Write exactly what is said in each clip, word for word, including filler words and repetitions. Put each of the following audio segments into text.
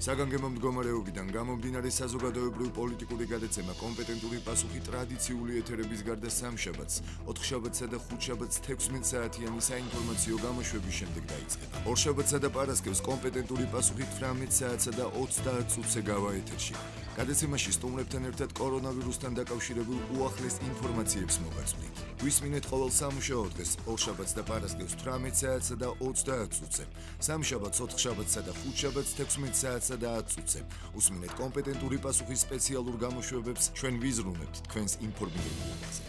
საგანგებო მდგომარეობიდან გამომდინარე საზოგადოებრივ პოლიტიკური გადაცემა კომპეტენტური პასუხი ტრადიციული ეთერების გარდა სამშაბათს, ოთხშაბათსა და ხუთშაბათს თექვსმეტ საათიანი საინფორმაციო გამოშვების შემდეგ დაიწყება. ორშაბათსა და პარასკევს კომპეტენტური პასუხი თვრამეტ საათსა და ოცდაათ წუთზე გავა ეთერში. გადაცემაში სტუმრებთან ერთად კორონავირუსთან დაკავშირებულ უახლეს ინფორმაციებს მოგაწვდით. გვისმინეთ ყოველ სამუშაო დღეს, ორშაბათს და პარასკევს თვრამეტ საათსა და ოცდაათ წუთზე, სამშაბათს, ოთხშაბათსა და ხუთშაბათს თექვსმეტ საათსა და ათ წუთზე. უსმინეთ კომპეტენტური პასუხის სპეციალურ გამოშვებებს, ჩვენ ვიზრუნებთ თქვენს ინფორმირებაზე.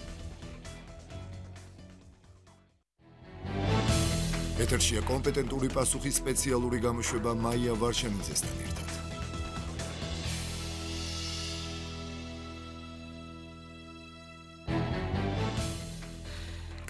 ეთერშია კომპეტენტური პასუხის სპეციალური გამოშვება მაია ვარშანიძესთან ერთად.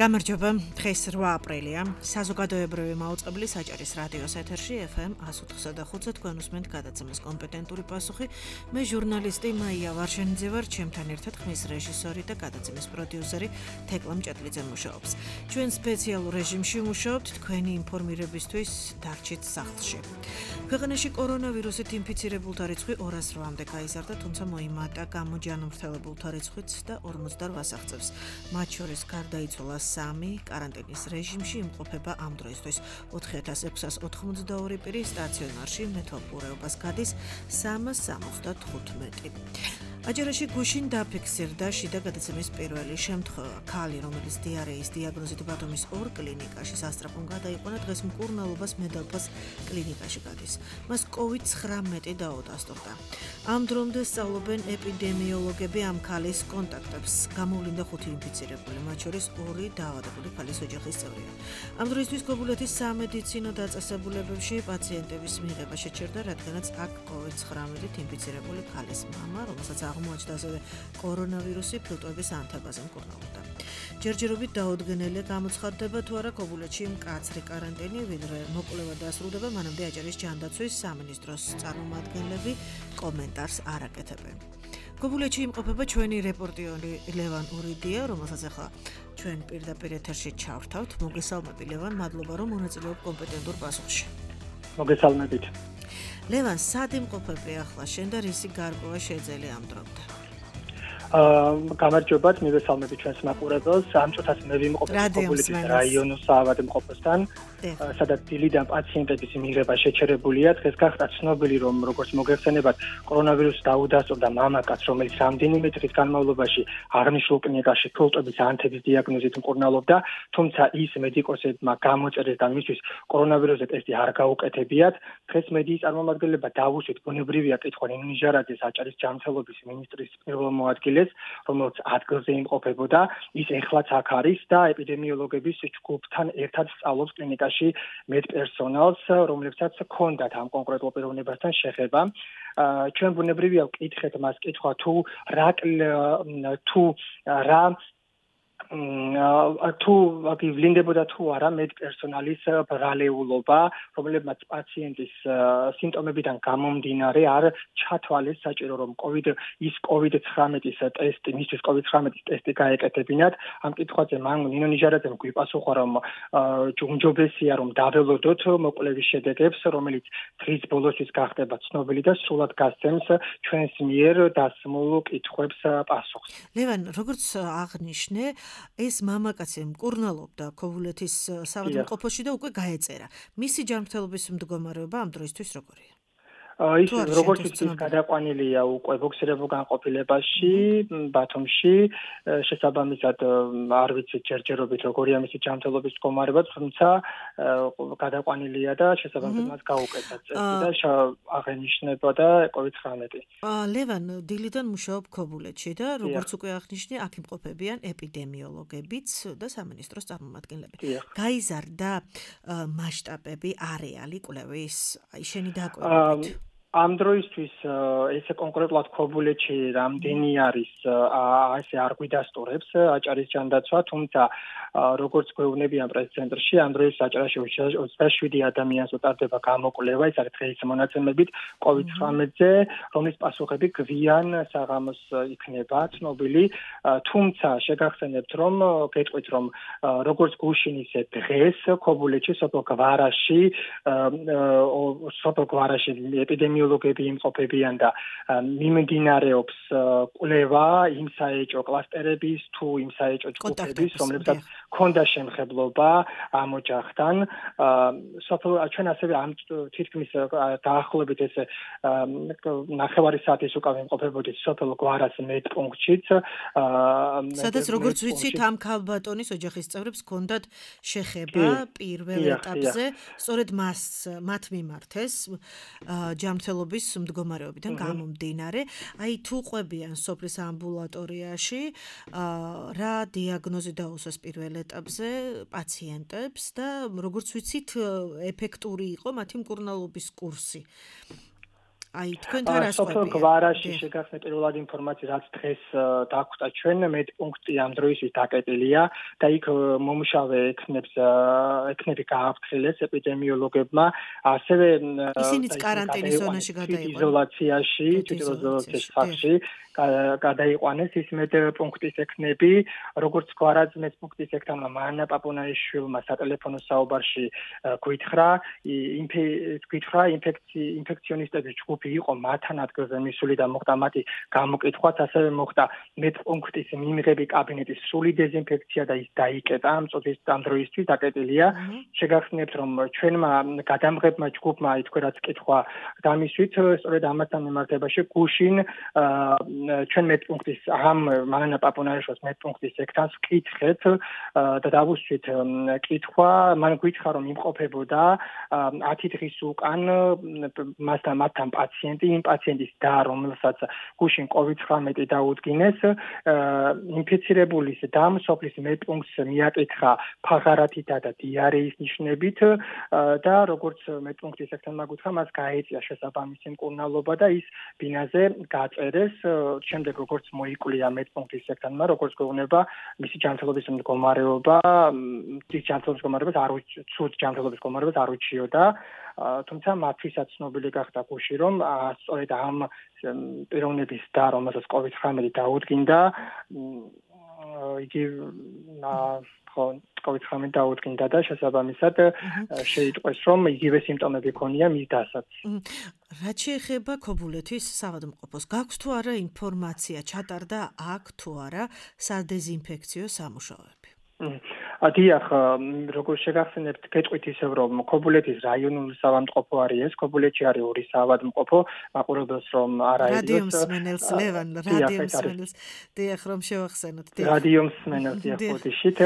გამარჯობა, დღეს რვა აპრილია, საზოგადოებრივი მაუწყებლი საჭირის რადიოს ეთერში ეფ ემ εκατს ოთხსა და ხუთზე თქვენ უსმენთ გადაცემას კომპეტენტური პასუხი. მე ჟურნალისტი მაია ვარშანიძე ვარ, ჩემთან ერთად ხმის რეჟისორი და გადაცემის პროდიუსერი თეკლა მჭედლიძე მუშაობს. ჩვენ სპეციალურ რეჟიმში მუშაობთ თქვენი ინფორმირებისთვის დარჩით სახლში. ქვეყანაში კორონავირუსით ინფიცირებულთა რიცხვი ორას რვამდე გაიზარდა, თუმცა მოიმატა გამოჯანმრთელებულთა რიცხვიც და ორმოცდარვას აღწევს. მათ შორის გარდაიცვალა სამი, კარანტინის რეჟიმში იმყოფება ამ დროისთვის ოთხი ათას ექვსას ოთხმოცდაორი პირი, სტაციონარში მეთვალყურეობას გადის სამას სამოცდათხუთმეტი. აჯერაში გუშინ დაფიქსირდა შიდა გადაცემის პირველი შემთხვევა. ქალი, რომელიც დიარეის დიაგნოზით ბათუმის ორ კლინიკაში სასწრაფომ გადაიყვანა, დღეს მკურნალობას მედალფას კლინიკაში გადის. მას კოვიდ ცხრამეტი დაუდასტურდა. ამ დრომდე სწავლობენ ეპიდემიოლოგები ამ ქალის კონტაქტებს. გამოვლინდა ხუთი ინფიცირებული, მათ შორის ორი დაავადებული ქალის ოჯახის წევრია. ამ დროისთვის გოგულეთის სამედიცინო დაწესებულებებში პაციენტების მიღება შეჩერდა, რადგანაც აქ კოვიდ ცხრამეტით ინფიცირებული ქალის მამა, რომელსაც აღმოაჩნდა ასევე კორონავირუსი, ფილტვების ანთებაზე მკურნალობდა. ჯერჯერობით დაუდგენელია გამოცხადდება თუ არა გოგულეთში მკაცრი კარანტინი, ვიდრე მოკვლევა დასრულდება, მანამდე აჭარის ჯანდაცვის სამინისტროს წარმომადგენლები კომენტარს არ აკეთებენ. გოგულეთში იმყოფება ჩვენი რეპორტიორი ლევან ურიდია, რომელსაც ახლა ჩვენ პირდაპირ ეთერში ჩავთავთ. მოგესალმები ლევან, მადლობა რომ მონაწილეობ კომპეტენტურ პასუხში. მოგესალმებით. ლევან, სად იმყოფები ახლა შენ და რისი გარკვევა შეძელია ამ დრომდე? აა გამარჯობათ, მივესალმები ჩვენს მაყურებელს. ამ წუთას მე ვიმყოფებ გოგულეთის რაიონის საავადმყოფოსთან, სადაც დილიდან პაციენტების მიღება შეჩერებულია. დღეს გახდა ცნობილი, რომ როგორც მოგეხსენებათ, კორონავირუსი დაუდასტურდა მამაკაცს, რომელიც რამდენიმე დღის განმავლობაში აღნიშნულ კლინიკაში ფილტვების ანთების დიაგნოზით მკურნალობდა, თუმცა ის მედიკოსებმა გამოწერეს და მისთვის კორონავირუსზე ტესტი არ გაუკეთებიათ. დღეს მედიის წარმომადგენლებმა დაუშვით ბუნებრივია კითხვა ნინო ნიჟარაძეს, აჭარის ჯანმრთელობის მინისტრის პირველ მოადგილეს, რომელიც ადგილზე იმყოფებოდა. ის ეხლაც აქ არის და ეპიდემიოლოგების ჯგუფთან ერთად სწავლობს კლინიკაში მედპერსონალს, რომლებსაც ჰქონდათ ამ კონკრეტულ პიროვნებასთან შეხება. ჩვენ ბუნებრივია ვკითხეთ მას კითხვა თუ რა თუ რა თუ ვლინდებოდა თუ არა მედპერსონალის ბრალეულობა, რომლებმაც პაციენტის სიმპტომებიდან გამომდინარე არ ჩათვალეს საჭირო რომ კოვიდ ის კოვიდ ცხრამეტის ტესტი, მისთვის კოვიდ ცხრამეტის ტესტი გაეკეთებინათ. ამ კითხვაზე მან ნინო ნიჟარაძემ გვიპასუხა, რომ ჯუმჯობესია რომ დაველოდოთ მოკვლევის შედეგებს, რომელიც დღის ბოლოსთვის გახდება ცნობილი და სრულად გასცემს ჩვენს მიერ დასმულ კითხვებს პასუხს. ლევან, როგორც აღნიშნე, ეს მამაკაცი მკურნალობდა გოგულეთის საავადმყოფოში და უკვე გაეწერა. მისი ჯანმრთელობის მდგომარეობა ამ დროისთვის როგორია? ის როგორც ის გადაყვანილია უკვე ბოქსერებულ განყოფილებაში, ბათუმში, შესაბამისად არ ვიცით ჯერჯერობით როგორია მისი ჯანმრთელობის მდგომარეობა, თუმცა გადაყვანილია და შესაბამისად მას გაუკეთა წესი და აღენიშნებოდა კოვიდ ცხრამეტი. ლევან, დილიდან მუშაობ გოგულეთში და როგორც უკვე აღნიშნე, აქ იმყოფებიან ეპიდემიოლოგებიც და სამინისტროს წარმომადგენლები. გაიზარდა მასშტაბები, არეალი კვლევის, აი შენი დაკვირვებით. ამ დროისთვის ესე კონკრეტულად გოგულეთში რამდენი არის ასე არ გვიდასტურებს აჭარის ჯანდაცვა, თუმცა როგორც გვეუბნებიან პრეს-ცენტრში, ამ დროს აჭარაში ოცდაშვიდი ადამიანს უტარდება გამოკვლევა, ეს არის დღეის მონაცემებით კოვიდ ცხრამეტზე, რომლის პასუხები გვიან საღამოს იქნება ცნობილი, თუმცა შეგახსენებთ, რომ გეტყვით, რომ როგორც გუშინ ისე დღეს გოგულეთში სოფელ გვარაში სოფელ გვარაში ეპიდემიოლოგია ეპიდემიოლოგები იმყოფებიან და მიმდინარეობს კვლევა იმ საეჭვო კლასტერების თუ იმ საეჭვო ჯგუფების, რომლებსაც ჰქონდა შემხებლობა ამ ოჯახთან. სოფელ ჩვენ ასევე ამ თითქმის დაახლოებით ესე ნახევარი საათის უკან იმყოფებოდით სოფელ გვარას მეტპუნქტშიც. სადაც როგორც ვიცით ამ ქალბატონის ოჯახის წევრებს ჰქონდათ შეხება პირველ ეტაპზე, სწორედ მას მათ მიმართეს ჯანმრთელობის მდგომარეობიდან გამომდინარე. აი თუ ყვებიან სოფლის ამბულატორიაში, რა დიაგნოზი დაუსვეს პირველ ეტაპზე პაციენტებს და როგორც ვიცით ეფექტური იყო მათი მკურნალობის კურსი. აი თქვენთან რა სოფელ გვარაში შეგახსნით პირველად ინფორმაცია რაც დღეს დაგვხვდა ჩვენ მეტპუნქტი ამ დროისთვის დაკეტილია და იქ მომუშავე ექნებს ექნები გააფრთხილეს ეპიდემიოლოგებმა ასევე ისინიც კარანტინის ზონაში გადაიყვანეს იზოლაციაში თვითიზოლაციის სახლში გადაიყვანეს ის მეტპუნქტის ექნები როგორც გვარაც მეტპუნქტის ექნებმა მანა პაპუნაიშვილმა სატელეფონო საუბარში გვითხრა გვითხრა ინფექციონისტების ჯგუფი იყო მათთან ადგილზე მისული და მოხდა მათი გამოკითხვაც, ასევე მოხდა მეტპუნქტის მიმღები კაბინეტის სრული დეზინფექცია და ის დაიკეტა ამ წუთის ამ დროისთვის დაკეტილია. შეგახსნებთ რომ ჩვენმა გადამღებმა ჯგუფმა ითქვერაც კითხვა დამისვით, სწორედ ამასთან მიმართებაში გუშინ ჩვენ მეტპუნქტის ამ მანა პაპუნაიშვილის მეტპუნქტის ექთანს ვკითხეთ და დავუსვით კითხვა, მან გითხრა რომ იმყოფებოდა ათი დღის უკან მასთან მათთან პაციენტი, იმ პაციენტის და რომელსაც გუშინ კოვიდ ცხრამეტი დაუდგინეს, ინფიცირებულის და სოფლის მეტპუნქტს მიაკითხა ფაღარათითა და დიარეის ნიშნებით და როგორც მეტპუნქტის ექთანმა გითხრა, მას გაეწია შესაბამისი მკურნალობა და ის ბინაზე გაწერეს. შემდეგ როგორც მოიკვლია მეტპუნქტის ექთანმა, როგორც გვეუბნება მისი ჯანმრთელობის მდგომარეობა, ის ჯანმრთელობის მდგომარეობას არ უცუდ ჯანმრთელობის მდგომარეობას არ უჩიოდა. თუმცა მათთვისაც ცნობილი გახდა გუში რომ სწორედ ამ პიროვნების და რომელსაც კოვიდ ცხრამეტი დაუდგინდა იგი ხო კოვიდ ცხრამეტი დაუდგინდა და შესაბამისად შეიტყვეს რომ იგივე სიმპტომები ჰქონია მის დასაც. რაც შეეხება ქობულეთის საავადმყოფოს, გაქვს თუ არა ინფორმაცია, ჩატარდა აქ თუ არა სადეზინფექციო სამუშაოები? დიახ, როგორც შეგახსენებთ, გეტყვით ისევ რომ ქობულეთის რაიონული საავადმყოფო არის ეს, ქობულეთში არის ორი საავადმყოფო, მაყურებელს რომ არა ედოს. რადიო მსმენელს ლევან, რადიო მსმენელს, დიახ რომ შევახსენოთ, დიახ. რადიო მსმენელს დიახ ხოდიშით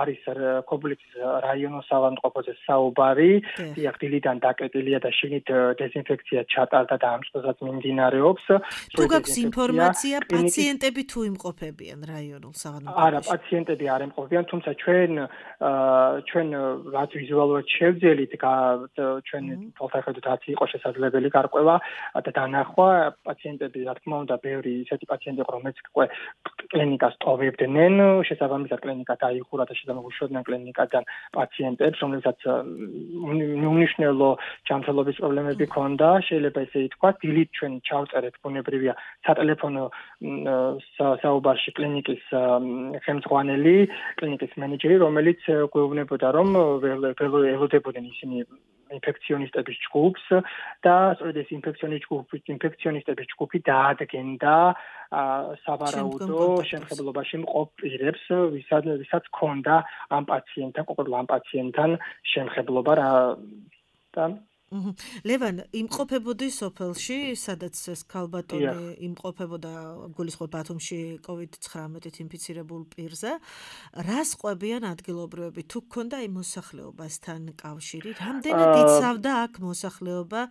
არის ქობულეთის რაიონულ საავადმყოფოზე საუბარი, დიახ დილიდან დაკეტილია და შინით დეზინფექცია ჩატარდა და ამ წუთსაც მიმდინარეობს. თუ გაქვს ინფორმაცია, პაციენტები თუ იმყოფებიან რაიონულ საავადმყოფოში? არა, პაციენტები არ ემყოფებიან, თუმცა ჩვენ ჩვენ რაც ვიზუალურად შევძელით, ჩვენ თვალსაჩინოდ რაც იყო შესაძლებელი გარკვევა და დანახვა პაციენტები, რა თქმა უნდა, ბევრი ისეთი პაციენტი იყო, რომელიც კლინიკას ტოვებდნენ, შესაბამისად კლინიკა დაიხურა და შესაბამისად უშევდნენ კლინიკიდან პაციენტებს, რომლებსაც უნიშნელო ჯანმრთელობის პრობლემები ჰქონდა, შეიძლება ესე ითქვას, დილით ჩვენ ჩავწერეთ ბუნებრივია სატელეფონო საუბარში კლინიკის ხელმძღვანელი, კლინიკის მენეჯერი, რომელიც გვეუბნებოდა, რომ ველოდებოდნენ ისინი ინფექციონისტების ჯგუფს და სწორედ ეს ინფექციონისტების ჯგუფი დაადგენდა სავარაუდო შემხებლობაში მყოფ პირებს, ვისაც ჰქონდა ამ პაციენტთან, კონკრეტულად ამ პაციენტთან შემხებლობა და ლევან, იმყოფებოდი სოფელში, სადაც ეს ქალბატონი იმყოფებოდა, გულისხმობ ბათუმში კოვიდ ცხრამეტით ინფიცირებულ პირზე. რას ყვებიან ადგილობრივები? თუ გქონდა იმ მოსახლეობასთან კავშირი, რამდენად იცავდა აქ მოსახლეობა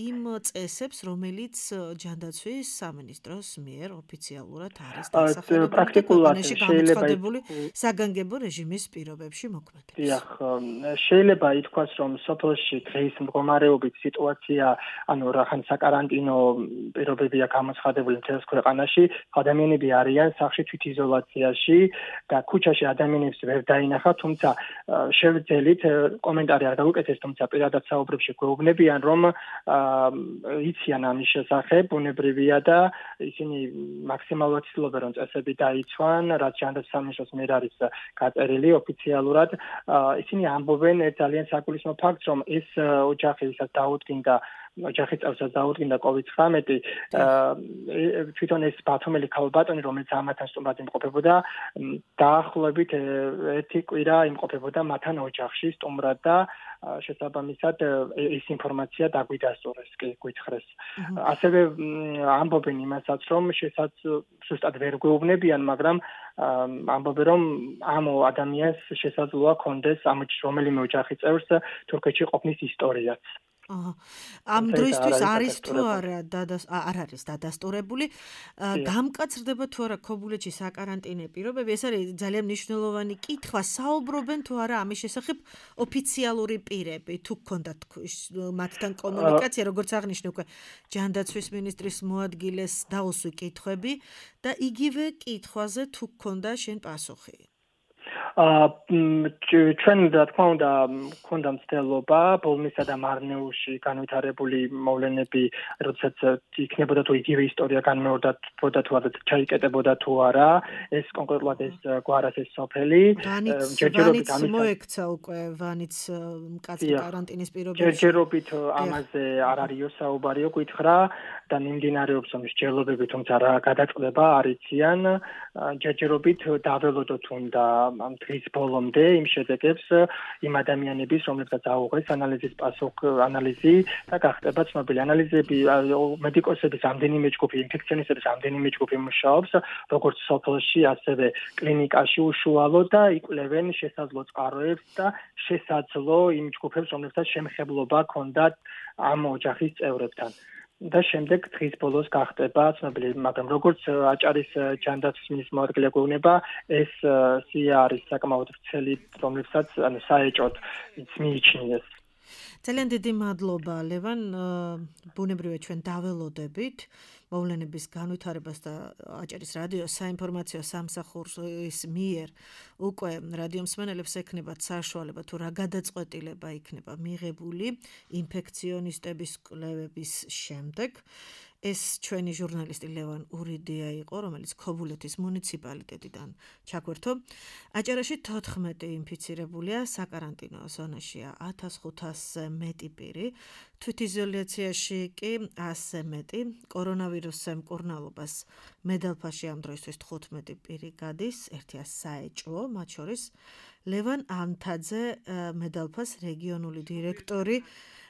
იმ წესებს, რომელიც ჯანდაცვის სამინისტროს მიერ ოფიციალურად არის დასახელებული პრაქტიკულად გამოცხადებული საგანგებო რეჟიმის პირობებში მოქმედებს. დიახ, შეიძლება ითქვას, რომ სოფელში დღის მდგომარეობით სიტუაცია, ანუ რახან საკარანტინო პირობებია გამოცხადებული მთელს ქვეყანაში, ადამიანები არიან სახლში თვითიზოლაციაში და ქუჩაში ადამიანებს ვერ დაინახავთ, თუმცა შევძელით კომენტარი არ გავუკეთეს, თუმცა პირადად საუბრებში გვეუბნებიან, რომ იციან ამის შესახებ, ბუნებრივია და ისინი მაქსიმალურად ცდილობენ, რომ წესები დაიცვან, რაც ჯანდაცვის სამინისტროს მიერ არის გაწერილი ოფიციალურად. ისინი ამბობენ ერთ ძალიან საგულისხმო ფაქტს, რომ ეს ეს ოჯახი ვისაც დაუდგინდა ოჯახის წევრსაც დაუდგინდა კოვიდ ცხრამეტი თვითონ ეს ბათუმელი ქალბატონი რომელიც ამათთან სტუმრად იმყოფებოდა დაახლოებით ერთი კვირა იმყოფებოდა მათთან ოჯახში სტუმრად და შესაბამისად ეს ინფორმაცია დაგვიდასტურეს კი გითხრეს ასევე ამბობენ იმასაც რომ შესაც ზუსტად ვერ გვეუბნებიან მაგრამ ამბობენ რომ ამ ადამიანს შესაძლოა ქონდეს ამ რომელიმე ოჯახის წევრს თურქეთში ყოფნის ისტორიაც აჰა ამ დროისთვის არის თუ არა არ არის დადასტურებული გამკაცრდება თუ არა ქობულეთში საკარანტინე პირობები ეს არის ძალიან მნიშვნელოვანი კითხვა საუბრობენ თუ არა ამის შესახებ ოფიციალური პირები თუ გქონდათ მათთან კომუნიკაცია როგორც აღნიშნე უკვე ჯანდაცვის მინისტრის მოადგილეს დაუსვი კითხვები და იგივე კითხვაზე თუ გქონდა შენ პასუხი აა ჩვენ რა თქმა უნდა გქონდა მცდელობა ბოლნისა და მარნეულში განვითარებული მოვლენები როდესაც იქნებოდა თუ იგივე ისტორია განმეორდებოდა თუ არა ჩაიკეტებოდა თუ არა ეს კონკრეტულად ეს გვარას ეს სოფელი ჯერჯერობით ამის მოექცა უკვე ვანიც მკაცრი კარანტინის პირობებში ჯერჯერობით ამაზე არ არისო საუბარიო გითხრა და მიმდინარეობს ამის ჯერლობები თუმცა რა გადაწყდება არ იციან ჯერჯერობით დაველოდოთ უნდა ამ დღის ბოლომდე იმ შედეგებს იმ ადამიანების რომლებსაც აუღეს ანალიზის პასუხ ანალიზი და გახდება ცნობილი ანალიზები მედიკოსების ამდენიმე ჯგუფი ინფექციონისტების ამდენიმე ჯგუფი მუშაობს როგორც სოფელში ასევე კლინიკაში უშუალოდ და იკვლევენ შესაძლო წყაროებს და შესაძლო იმ ჯგუფებს რომლებსაც შემხებლობა ჰქონდათ ამ ოჯახის წევრებთან და შემდეგ დღის ბოლოს გახდება ცნობილი, მაგრამ როგორც აჭარის ჯანდაცვის მინისტრის მოადგილე გვეუბნება, ეს სია არის საკმაოდ ვრცელი, რომლებსაც ანუ საეჭვოდ მიიჩნიეს. ძალიან დიდი მადლობა ლევან, ბუნებრივია ჩვენ დაველოდებით მოვლენების განვითარებას და აჭარის რადიოს საინფორმაციო სამსახურის მიერ უკვე რადიო მსმენელებს ექნებათ საშუალება თუ რა გადაწყვეტილება იქნება მიღებული ინფექციონისტების კვლევების შემდეგ. ეს ჩვენი ჟურნალისტი ლევან ურიდია იყო, რომელიც ქობულეთის მუნიციპალიტეტიდან ჩაგვერთო. აჭარაში თოთხმეტი ინფიცირებულია, საკარანტინო ზონაშია ათას ხუთასზე მეტი პირი, თვითიზოლაციაში კი ასზე მეტი. კორონავირუსზე მკურნალობას მედალფაში ამ დროისთვის თხუთმეტი პირი გადის, ერთია საეჭვო, მათ შორის ლევან ანთაძე მედალფას რეგიონული დირექტორი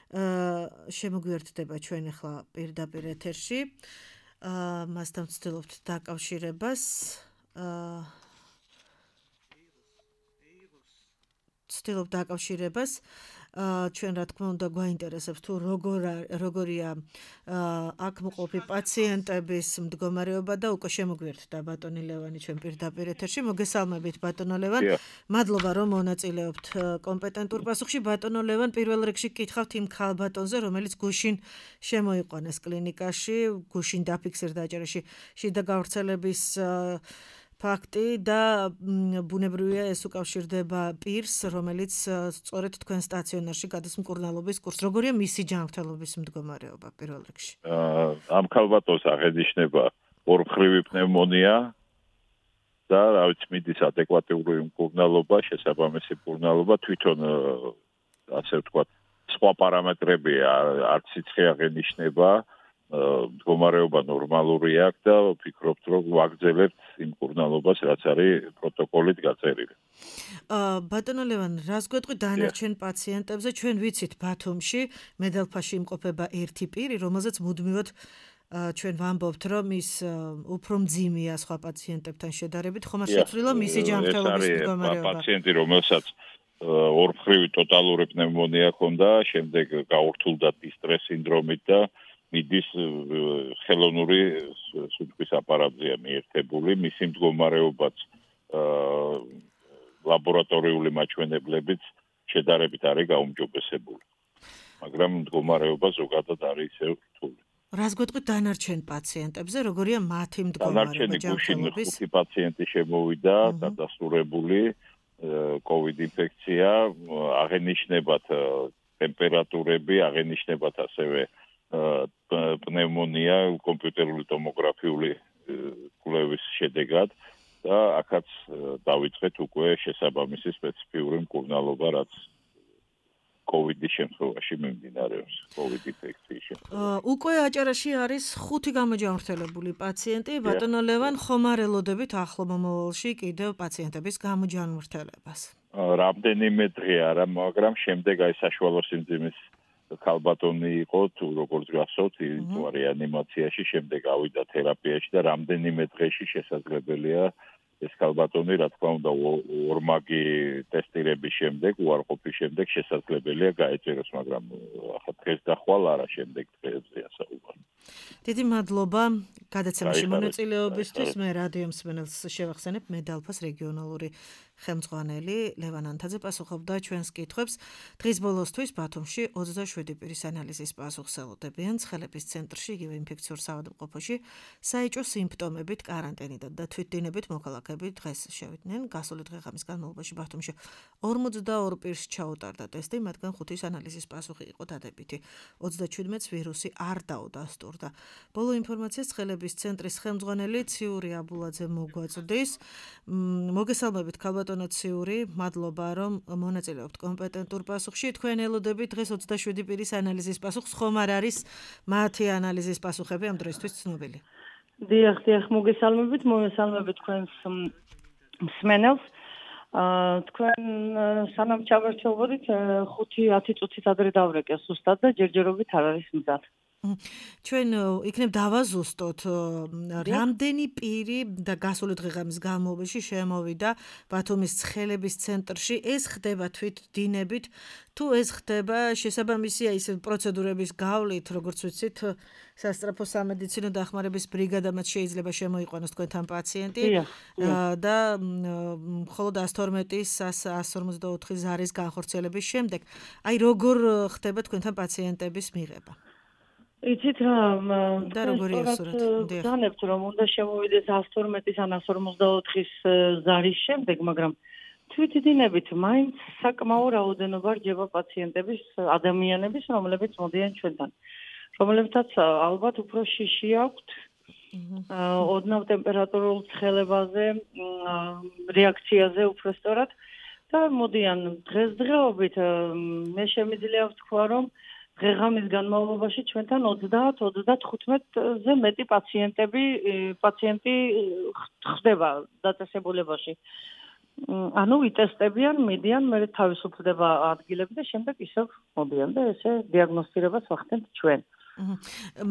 შემოგვიერთდება ჩვენ ახლა პირდაპირ ეთერში. მასთან ვცდილობთ დაკავშირებას. ვცდილობთ დაკავშირებას. ჩვენ რა თქმა უნდა გვაინტერესებს თუ როგორ როგორია აქ მყოფი პაციენტების მდგომარეობა და უკვე შემოგვიერთდა ბატონი ლევანი ჩვენ პირდაპირ ეთერში. მოგესალმებით ბატონო ლევან. მადლობა რომ მონაწილეობთ კომპეტენტურ პასუხში. ბატონო ლევან, პირველ რიგში გკითხავთ იმ ქალბატონზე, რომელიც გუშინ შემოიყვანეს კლინიკაში, გუშინ დაფიქსირდა აჭარაში შიდა გავრცელების ფაქტი და ბუნებრივია ეს უკავშირდება პირს, რომელიც სწორედ თქვენ სტაციონარში გადის მკურნალობის კურსს. როგორია მისი ჯანმრთელობის მდგომარეობა პირველ რიგში? ამ ქალბატონს აღენიშნება ორმხრივი პნევმონია და რა ვიცი, მიდის ადეკვატური მკურნალობა, შესაბამისი მკურნალობა, თვითონ ასე ვთქვათ, სხვა პარამეტრები არც სიცხე აღენიშნება. მდგომარეობა ნორმალური აქვს და ვფიქრობთ, რომ ვაგრძელებთ იმ მკურნალობას, რაც არის პროტოკოლით გაწერილი. ბატონო ლევან, რას გვეტყვით დანარჩენ პაციენტებზე? ჩვენ ვიცით ბათუმში მედალფაში იმყოფება ერთი პირი, რომელზეც მუდმივად ჩვენ ვამბობთ, რომ ის უფრო მძიმეა სხვა პაციენტებთან შედარებით, ხომ არ შეცვლილა მისი ჯანმრთელობის მდგომარეობა? პაციენტი, რომელსაც ორმხრივი ტოტალური პნევმონია ჰქონდა, შემდეგ გაურთულდა დისტრეს სინდრომით და მიდის ხელოვნური სუნთქვის აპარატზეა მიერთებული, მისი მდგომარეობაც ლაბორატორიული მაჩვენებლებით შედარებით არის გაუმჯობესებული. მაგრამ მდგომარეობა ზოგადად არის ისევ რთული. რას გვეტყვით დანარჩენ პაციენტებზე, როგორია მათი მდგომარეობა ჯანმრთელობის? ხუთი პაციენტი შემოვიდა, დადასტურებული კოვიდ ინფექცია, აღენიშნებათ ტემპერატურები, აღენიშნებათ ასევე პნევმონია კომპიუტერული ტომოგრაფიული კვლევის შედეგად და აქაც დავიწყეთ უკვე შესაბამისი სპეციფიური მკურნალობა, რაც კოვიდის შემთხვევაში მიმდინარეობს, კოვიდ ინფექციის შემთხვევაში. უკვე აჭარაში არის ხუთი გამოჯანმრთელებული პაციენტი, ბატონო ლევან, ხომ არ ელოდებით ახლო მომავალში კიდევ პაციენტების გამოჯანმრთელებას? რამდენიმე დღე არა, მაგრამ შემდეგ აი საშუალო სიმძიმის ქალბატონი იყო, თუ როგორც გახსოვთ, იყო რეანიმაციაში, შემდეგ ავიდა თერაპიაში და რამდენიმე დღეში შესაძლებელია ეს ქალბატონი, რა თქმა უნდა, ორმაგი ტესტირების შემდეგ, უარყოფის შემდეგ შესაძლებელია გაეჭეროს, მაგრამ ახლა დღეს და ხვალ არა, შემდეგ დღეებზეა საუბარი. დიდი მადლობა გადაცემაში მონაწილეობისთვის. მე რადიო მსმენელს შევახსენებ, მე დალფას რეგიონალური ხელმძღვანელი ლევან ანთაძე პასუხობდა ჩვენს კითხვებს. დღის ბოლოსთვის ბათუმში ოცდაშვიდი პირის ანალიზის პასუხს ელოდებიან ცხელების ცენტრში, იგივე ინფექციურ საავადმყოფოში, საეჭვო სიმპტომებით, კარანტინიდან და თვითდინებით მოქალაქეები დღეს შევიდნენ. გასული დღე-ღამის განმავლობაში ბათუმში ორმოცდაორ პირს ჩაუტარდა ტესტი, მათგან ხუთის ანალიზის პასუხი იყო დადებითი. ოცდაჩვიდმეტს ვირუსი არ დაუდასტურდა. ბოლო ინფორმაციას ცხელების ცენტრის ხელმძღვანელი ციური აბულაძე მოგვაწვდის. მოგესალმებით ქალბატონო ციური, მადლობა რომ მონაწილეობთ კომპეტენტურ პასუხში. თქვენ ელოდებით დღეს ოცდაშვიდი პირის ანალიზის პასუხს, ხომ არ არის მათი ანალიზის პასუხები ამ დროისთვის ცნობილი? დიახ, დიახ, მოგესალმებით, მოგესალმებით თქვენს მსმენელს. თქვენ სანამ ჩავერთვებოდით ხუთი ათი წუთით ადრე დავრეკე სუსტად და ჯერჯერობით არ არის მზად. ჩვენ იქნებ დავაზუსტოთ რამდენი პირი და გასული დღე-ღამის განმავლობაში შემოვიდა ბათუმის ცხელების ცენტრში. ეს ხდება თვითდინებით თუ ეს ხდება შესაბამისი აი ეს პროცედურების გავლით, როგორც ვიცით, სასწრაფო სამედიცინო დახმარების ბრიგადამაც შეიძლება შემოიყვანოს თქვენთან პაციენტი და მხოლოდ ას თორმეტი ას ორმოცდაოთხი ზარის განხორციელების შემდეგ აი როგორ ხდება თქვენთან პაციენტების მიღება? იცით რა, და როგორია სურათი? ვგანებთ რომ უნდა შემოვიდეს ას თორმეტის ან ას ორმოცდაოთხის ზარის შემდეგ, მაგრამ თვითდინებით მაინც საკმაო რაოდენობა რჯება პაციენტების, ადამიანების, რომლებიც მოდიან ჩვენთან. რომლებთაც ალბათ უფრო შიში აქვთ ოდნავ ტემპერატურულ ცხელებაზე, რეაქციაზე უფრო სწორად და მოდიან დღესდღეობით. მე შემიძლია ვთქვა, რომ დღე-ღამის განმავლობაში ჩვენთან ოცდაათ ოცდათხუთმეტზე მეტი პაციენტები პაციენტი ხდება დაწესებულებაში. ანუ იტესტებიან, მიდიან, მე თავისუფლდება ადგილები და შემდეგ ისევ მოდიან და ესე დიაგნოსტირებას ვახდენთ ჩვენ.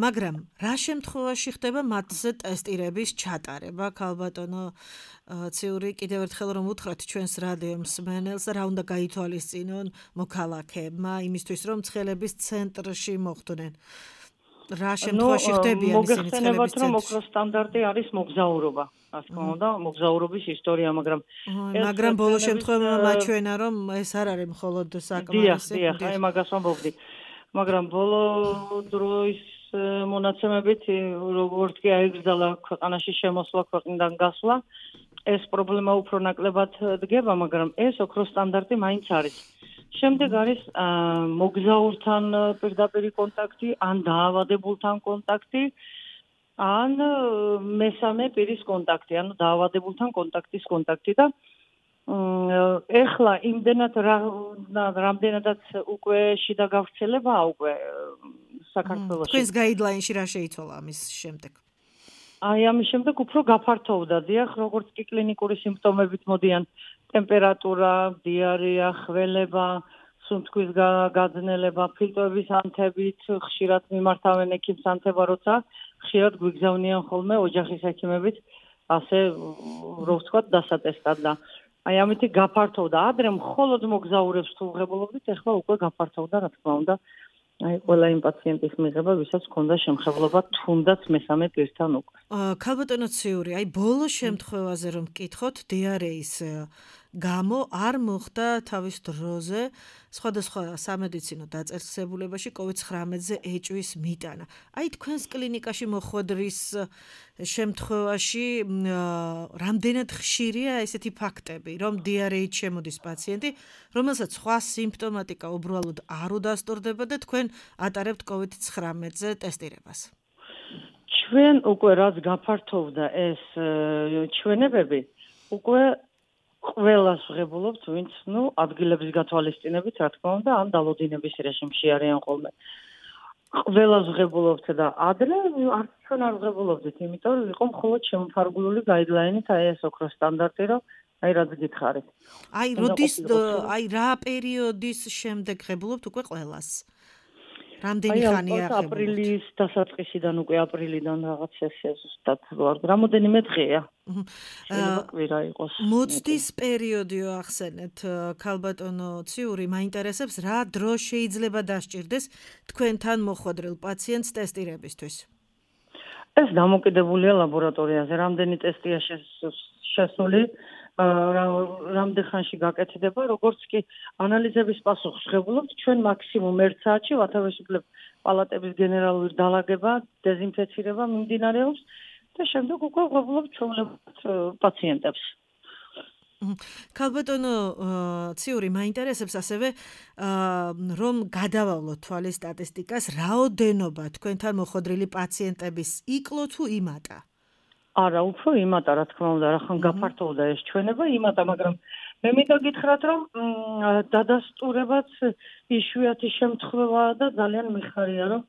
მაგრამ რა შემთხვევაში ხდება მათზე ტესტირების ჩატარება? ქალბატონო ციური, კიდევ ერთხელ რომ უთხრათ ჩვენს რადიო მსმენელს, რა უნდა გაითვალისწინონ მოქალაქეებმა იმისთვის, რომ ცხელების ცენტრში მოხვდნენ? რა შემთხვევაში ხდებიან ისინი ცხელების ცენტრში? მოგეხსენებათ, რომ ოქროს სტანდარტი არის მოგზაურობა. რა თქმა უნდა, მოგზაურობის ისტორია, მაგრამ მაგრამ ბოლო შემთხვევაში მაჩვენა, რომ ეს არ არის მხოლოდ საკმარისი. დიახ, აი მაგას ვამბობდი. მაგრამ ბოლო დროის მონაცემებით, როგორც კი აიგრძალა ქვეყანაში შემოსვლა, ქვეყნიდან გასვლა, ეს პრობლემა უფრო ნაკლებად დგება, მაგრამ ეს ოქროს სტანდარტი მაინც არის. შემდეგ არის მოგზაურთან პირდაპირი კონტაქტი, ან დაავადებულთან კონტაქტი, ან მესამე პირის კონტაქტი, ანუ დაავადებულთან კონტაქტის კონტაქტი და ეხლა იმდენად რამდენადაც უკვე შიდა გავრცელებაა უკვე საქართველოში. თქვენს გაიდლაინში რა შეიცვალა ამის შემდეგ? აი ამის შემდეგ უფრო გაფართოვდა, დიახ, როგორც კი კლინიკური სიმპტომებით მოდიან ტემპერატურა, დიარეა, ხველება, სუნთქვის გაძნელება, ფილტვების ანთებით, ხშირად მიმართავენ ექიმს ანთება, როცა ხშირად გვიგზავნიან ხოლმე ოჯახის ექიმებით, ასე რო ვთქვათ, დასატესტად და აი ამითი გაფართოვდა. ადრე მხოლოდ მოგზაურებს თუ ვღებულობდით, ეხლა უკვე გაფართოვდა, რა თქმა უნდა, აი ყველა იმ პაციენტის მიღება, ვისაც ჰქონდა შემხებლობა თუნდაც მესამე პირთან უკვე. ქალბატონო ციური, აი ბოლო შემთხვევაზე რომ ვკითხოთ, დიარეის გამო არ მოხდა თავის დროზე სხვადასხვა სამედიცინო დაწესებულებაში კოვიდ ცხრამეტზე ეჭვის მიტანა. აი თქვენს კლინიკაში მოხვედრის შემთხვევაში რამდენად ხშირია ესეთი ფაქტები, რომ დიარეით შემოდის პაციენტი, რომელსაც სხვა სიმპტომატიკა უბრალოდ არ უდასტურდება და თქვენ ატარებთ კოვიდ ცხრამეტზე ტესტირებას? ჩვენ უკვე რაც გაფართოვდა ეს ჩვენებები, უკვე ყველას ვღებულობთ, ვინც, ну, ადგილების გათვალისწინებით, რა თქმა უნდა, ან დალოდინების რეჟიმში არიან ხოლმე. ყველას ვღებულობთ და ადრე არც ჩვენ არ ვღებულობდით, იმიტომ რომ იყო მხოლოდ შემოფარგლული გაიდლაინით აი ეს ოქროს სტანდარტი, რომ აი რაც გითხარით. აი, როდის აი რა პერიოდის შემდეგ ღებულობთ უკვე ყველას? რამდენი ხანია ღებულობთ? აპრილის დასაწყისიდან უკვე აპრილიდან რაღაც ესე ზუსტად ვარ. რამოდენიმე დღეა. შეიძლება კვირა იყოს. მოცდის პერიოდიო ახსენეთ, ქალბატონო ციური, მაინტერესებს რა დრო შეიძლება დასჭირდეს თქვენთან მოხვედრილ პაციენტს ტესტირებისთვის? ეს დამოკიდებულია ლაბორატორიაზე, რამდენი ტესტია შესული, რამდენ ხანში გაკეთდება, როგორც კი ანალიზების პასუხს ღებულობთ, ჩვენ მაქსიმუმ ერთ საათში ვათავისუფლებთ პალატების გენერალური დალაგება, დეზინფექცირება მიმდინარეობს და შემდეგ უკვე ღებულობთ ჩვეულებრივ პაციენტებს. ქალბატონო ციური, მაინტერესებს ასევე რომ გადავავლოთ თვალის სტატისტიკას, რაოდენობა თქვენთან მოხვედრილი პაციენტების იკლო თუ იმატა? არა, უფრო იმატა, რა თქმა უნდა, რახან გაფართოვდა ეს ჩვენება, იმატა, მაგრამ მე მინდა გითხრათ, რომ დადასტურებაც იშვიათი შემთხვევაა და ძალიან მიხარია, რომ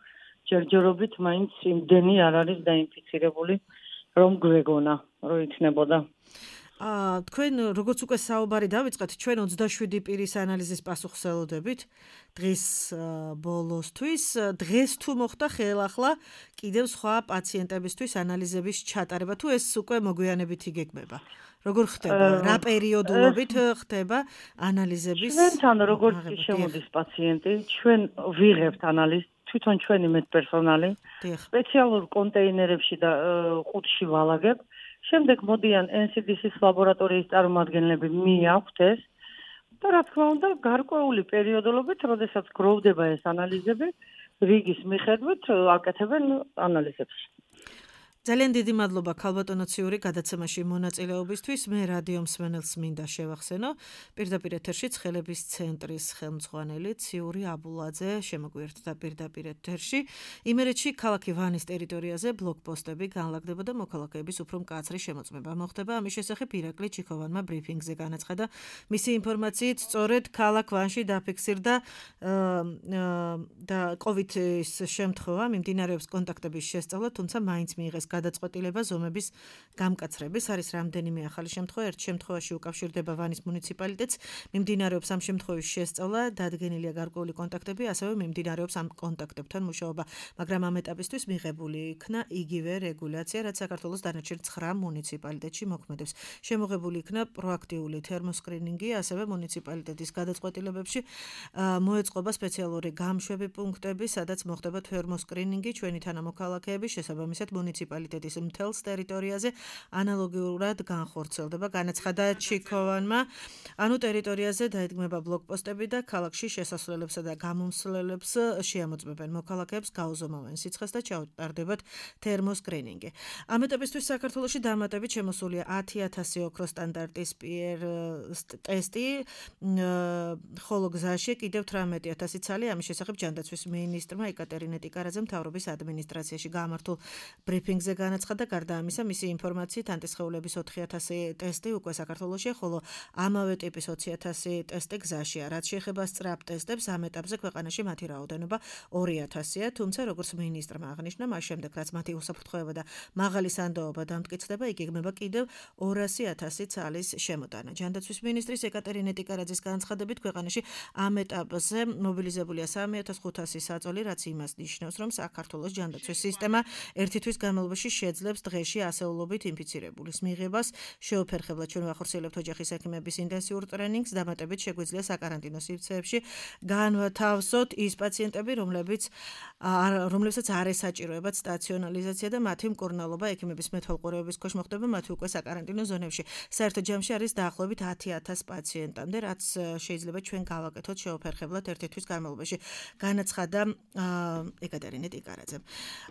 ჯერჯერობით მაინც იმდენი არ არის დაინფიცირებული, რომ გვეგონა, რომ იქნებოდა. აა თქვენ როგორც უკვე საუბარი დავიწყეთ, ჩვენ ოცდაშვიდი პირის ანალიზის პასუხს ელოდებით დღის ბოლოსთვის. დღეს თუ მოხდა ხელახლა კიდევ სხვა პაციენტებისთვის ანალიზების ჩატარება, თუ ეს უკვე მოგვიანებით იგეგმება? როგორ ხდება? რა პერიოდულობით ხდება ანალიზების? ჩვენთან როგორც კი შემოდის პაციენტი, ჩვენ ვიღებთ ანალიზს, თვითონ ჩვენი მედპერსონალი, სპეციალურ კონტეინერებში და ყუთში ვალაგებ. შემდეგ მოდიან ენ სი დი სის ლაბორატორიის წარმომადგენლები მიაქვთ ეს და რა თქმა უნდა გარკვეული პერიოდულობით, როდესაც გროვდება ეს ანალიზები, რიგის მიხედვით აკეთებენ ანალიზებს. ძალიან დიდი მადლობა ქალბატონო ციური გადაცემაში მონაწილეობისთვის. მე რადიო მსმენელს მინდა შევახსენო, პირდაპირ ეთერში ცხელების ცენტრის ხელმძღვანელი ციური აბულაძე შემოგვიერთდა პირდაპირ ეთერში. იმერეთში ქალაქი ვანის ტერიტორიაზე ბლოკპოსტები განლაგდება და მოქალაქეების უფრო მკაცრი შემოწმება მოხდება. ამის შესახებ ირაკლი ჩიქოვანმა ბრიფინგზე განაცხადა. მისი ინფორმაციით, სწორედ ქალაქ ვანში დაფიქსირდა და კოვიდის შემთხვევა, მიმდინარეობს კონტაქტების შესწავლა, თუმცა მაინც მიიღეს გადაწყვეტილება ზომების გამკაცრების. არის რამდენიმე ახალი შემთხვევა, ერთ შემთხვევაში უკავშირდება ვანის მუნიციპალიტეტს, მიმდინარეობს ამ შემთხვევის შესწავლა, დადგენილია გარკვეული კონტაქტები, ასევე მიმდინარეობს ამ კონტაქტებთან მუშაობა, მაგრამ ამ ეტაპისთვის მიღებული იქნა იგივე რეგულაცია, რაც საქართველოს დანარჩენ ცხრა მუნიციპალიტეტში მოქმედებს. შემოღებული იქნა პროაქტიული თერმოსკრინინგი, ასევე მუნიციპალიტეტის გადაწყვეტილებებში მოეწყობა სპეციალური გამშვები პუნქტები, სადაც მოხდება თერმოსკრინინგი, ჩვენი თანამოქალაქეების შესაბამისად მუნიციპალიტეტის მთელს ტერიტორიაზე ანალოგიურად განხორციელდება, განაცხადა ჩიქოვანმა. ანუ ტერიტორიაზე დაიდგმება ბლოკპოსტები და ქალაქში შესასვლელებსა და გამომსვლელებს შეამოწმებენ მოქალაქეებს, გაუზომავენ სიცხეს და ჩაუტარდებათ თერმოსკრინინგი. ამ ეტაპისთვის საქართველოში დამატებით შემოსულია ათი ათასი ოქროს სტანდარტის პი-ერ ტესტი, ხოლო გზაში კიდევ თვრამეტი ათასი ცალი. ამის შესახებ ჯანდაცვის მინისტრმა ეკატერინე ტიკარაძემ მთავრობის ადმინისტრაციაში გამართულ ბრიფინგზე განაცხადა. გარდა ამისა, მისი ინფორმაციით ანტისხეულების ოთხი ათასი ტესტი უკვე საქართველოშია, ხოლო ამავე ტიპის ოცი ათასი ტესტი გზაშია. რაც შეეხება სწრაფ ტესტებს, ამ ეტაპზე ქვეყანაში მათი რაოდენობა ორი ათასია, თუმცა როგორც მინისტრმა აღნიშნა, მას შემდეგ რაც მათი უსაფრთხოება და მაღალი სანდოობა დამტკიცდება, იგეგმება კიდევ ორასი ათასი ცალის შემოტანა. ჯანდაცვის მინისტრის ეკატერინე ტიკარაძის განცხადებით, ქვეყანაში ამ ეტაპზე მობილიზებულია სამი ათას ხუთასი საწოლი, რაც იმას ნიშნავს, რომ საქართველოს ჯანდაცვის სისტემა ერთი თვის განმავლობაში შეძლებს დღეში ასეულობით ინფიცირებულის მიღებას. შეუფერხებლად ჩვენ ვახორციელებთ ოჯახის ექიმების ინტენსიურ ტრენინგს, დამატებით შეგვიძლია საკარანტინო სივრცეებში განვათავსოთ ის პაციენტები, რომლებიც რომლებსაც არ ესაჭიროებათ სტაციონალიზაცია და მათი მკურნალობა ექიმების მეთვალყურეობის ქვეშ მოხდება, მათი უკვე საკარანტინო ზონებში. საერთო ჯამში არის დაახლოებით ათი ათას პაციენტამდე, რაც შეიძლება ჩვენ გავაკეთოთ შეუფერხებლად ერთი თვის განმავლობაში, განაცხადა ეკატერინე ტიკარაძემ.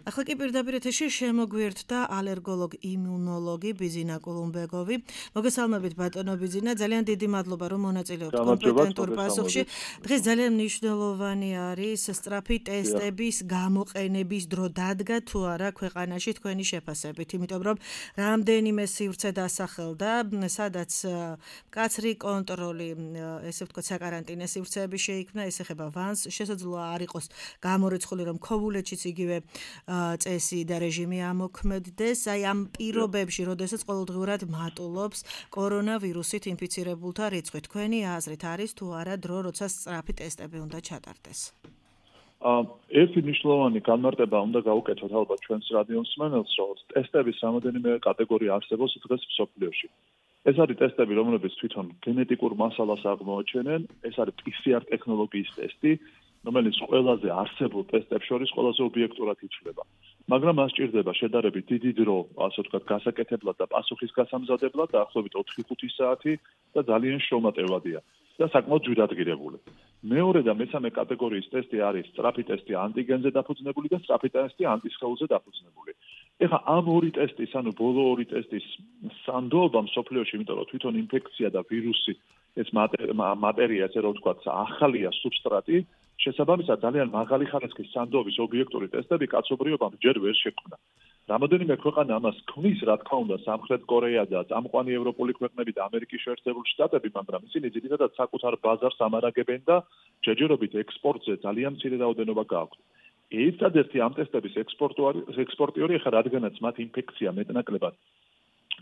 ახლა კი პირდაპირ ეთერში შემოგვიერთდა გვერდდა ალერგოლოგ იმუნოლოგი ბიზინა კულუმბეგოვი. მოგესალმებით ბატონო ბიზინა, ძალიან დიდი მადლობა რომ მონაწილეობთ კომპეტენტურ პასუხში. დღეს ძალიან მნიშვნელოვანი არის სწრაფი ტესტების გამოყენების დრო დადგა თუ არა ქვეყანაში თქვენი შეფასებით, იმიტომ რომ რამდენიმე სივრცე დასახელდა, სადაც მკაცრი კონტროლი, ესე ვთქვათ, საკარანტინე სივრცეები შეიქმნა, ეს ეხება ვანს, შესაძლოა არ იყოს გამორიცხული რომ ქობულეთშიც იგივე წესი და რეჟიმი ამოქმედდეს, აი ამ პირობებში, როდესაც ყოველდღიურად მატულობს კორონავირუსით ინფიცირებულთა რიცხვი, თქვენი აზრით არის თუ არა დრო, როცა სწრაფი ტესტები უნდა ჩატარდეს? ერთი მნიშვნელოვანი განმარტება უნდა გავუკეთოთ ალბათ ჩვენს რადიო მსმენელს, რომ ტესტების რამოდენიმე კატეგორია არსებობს დღეს მსოფლიოში. ეს არის ტესტები, რომლებიც თვითონ გენეტიკურ მასალას აღმოაჩენენ, ეს არის პი სი არ ტექნოლოგიის ტესტი, რომელიც ყველაზე არსებულ ტესტებს შორის ყველაზე ობიექტურად ითვლება. მაგრამ მას სჭირდება შედარებით დიდი დრო, ასე ვთქვათ, გასაკეთებლად და პასუხის გასამზადებლად, დაახლოებით ოთხი ხუთი საათი და ძალიან შრომატევადია და საკმაოდ ჯვირადღირებული. მეორე და მესამე კატეგორიის ტესტი არის სწრაფი ტესტი ანტიგენზე დაფუძნებული და სწრაფი ტესტი ანტისხეულზე დაფუძნებული. ეხლა ამ ორი ტესტის, ანუ ბოლო ორი ტესტის სანდოობა მსოფლიოში, იმიტომ რომ თვითონ ინფექცია და ვირუსი, ეს მატერია, ესე რომ ვთქვათ, ახალია სუბსტრატი, შესაბამისად ძალიან მაღალი ხარისხის სანდოობის ობიექტური ტესტები კაცობრიობამ ჯერ ვერ შექმნა. რამოდენიმე ქვეყანა ამას ქმნის, რა თქმა უნდა, სამხრეთ კორეა და წამყვანი ევროპული ქვეყნები და ამერიკის შეერთებული შტატები, მაგრამ ისინი ძირითადად საკუთარ ბაზარს ამარაგებენ და ჯერჯერობით ექსპორტზე ძალიან მცირე რაოდენობა გააქვთ. ერთადერთი ამ ტესტების ექსპორტიორი ხა რადგანაც მათ ინფექცია მეტნაკლებად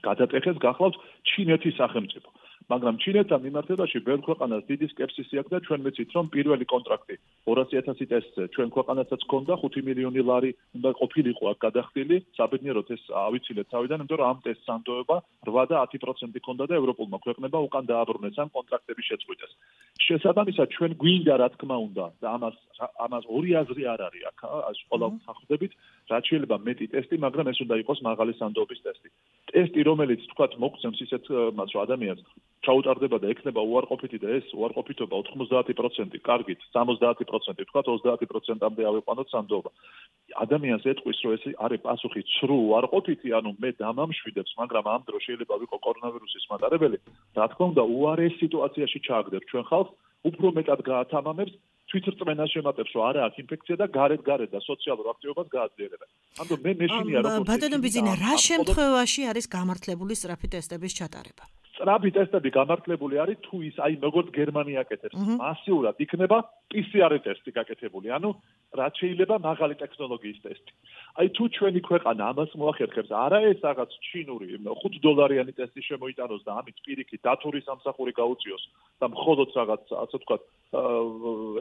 გადატეხეს, გახლავთ ჩინეთის სახელმწიფო. მაგრამ ჩინეთთან მიმართებაში ბევრ ქვეყანას დიდი სკეპსისი აქვს და ჩვენ მეცით რომ პირველი კონტრაქტი ორასი ათასი ტესტზე ჩვენ ქვეყანასაც ჰქონდა ხუთი მილიონი ლარი უნდა ყოფილიყო აქ გადახდილი, საბედნიეროდ ეს ავიცილეთ თავიდან, იმიტომ რომ ამ ტესტს სანდოება რვა და ათი პროცენტი ჰქონდა და ევროპულმა ქვეყნებმა უკან დააბრუნეს ამ კონტრაქტების შეწყვეტას. შესაბამისად ჩვენ გვინდა რა თქმა უნდა და ამას ამას ორი აზრი არ არის აქ, ყველა ვსახვდებით, რაც შეიძლება მეტი ტესტი, მაგრამ ეს უნდა იყოს მაღალი სანდოობის ტესტი. ტესტი, რომელიც თქვათ მოგცემს ისეთ მას რომ ადამიანს ჩაუტარდება და ექნება უარყოფითი და ეს უარყოფითობა ოთხმოცდაათი პროცენტი, კარგით, სამოცდაათი პროცენტი, თქვათ ოცდაათი პროცენტამდე ავიყვანოთ სანდოობა. ადამიანს ეტყვის, რომ ეს არის პასუხი ცრუ უარყოფითი, ანუ მე დამამშვიდებს, მაგრამ ამ დროს შეიძლება ვიყო კორონავირუსის მატარებელი, რა თქმა უნდა, უარეს სიტუაციაში ჩააგდებ ჩვენ ხალხს, უფრო მეტად გაათამამებს, თვითრწმენას შემატებს, რომ არა აქვს ინფექცია და გარეთ-გარეთ და სოციალურ აქტივობას გააძლიერებს. ამიტომ მე მეშინია როგორც ბატონო ბიზინა, რა შემთხვევაში არის გამართლებული სწრაფი ტესტების ჩატარება? სწრაფი ტესტები გამართლებული არის თუ ის აი როგორც გერმანია აკეთებს, მასიურად იქნება პი სი არ ტესტი გაკეთებული, ანუ რაც შეიძლება მაღალი ტექნოლოგიის ტესტი. აი თუ ჩვენი ქვეყანა ამას მოახერხებს, არა ეს რაღაც ჩინური ხუთ დოლარიანი ტესტი შემოიტანოს და ამით პირიქით დათური სამსახური გაუწიოს და მხოლოდ რაღაც ასე ვთქვათ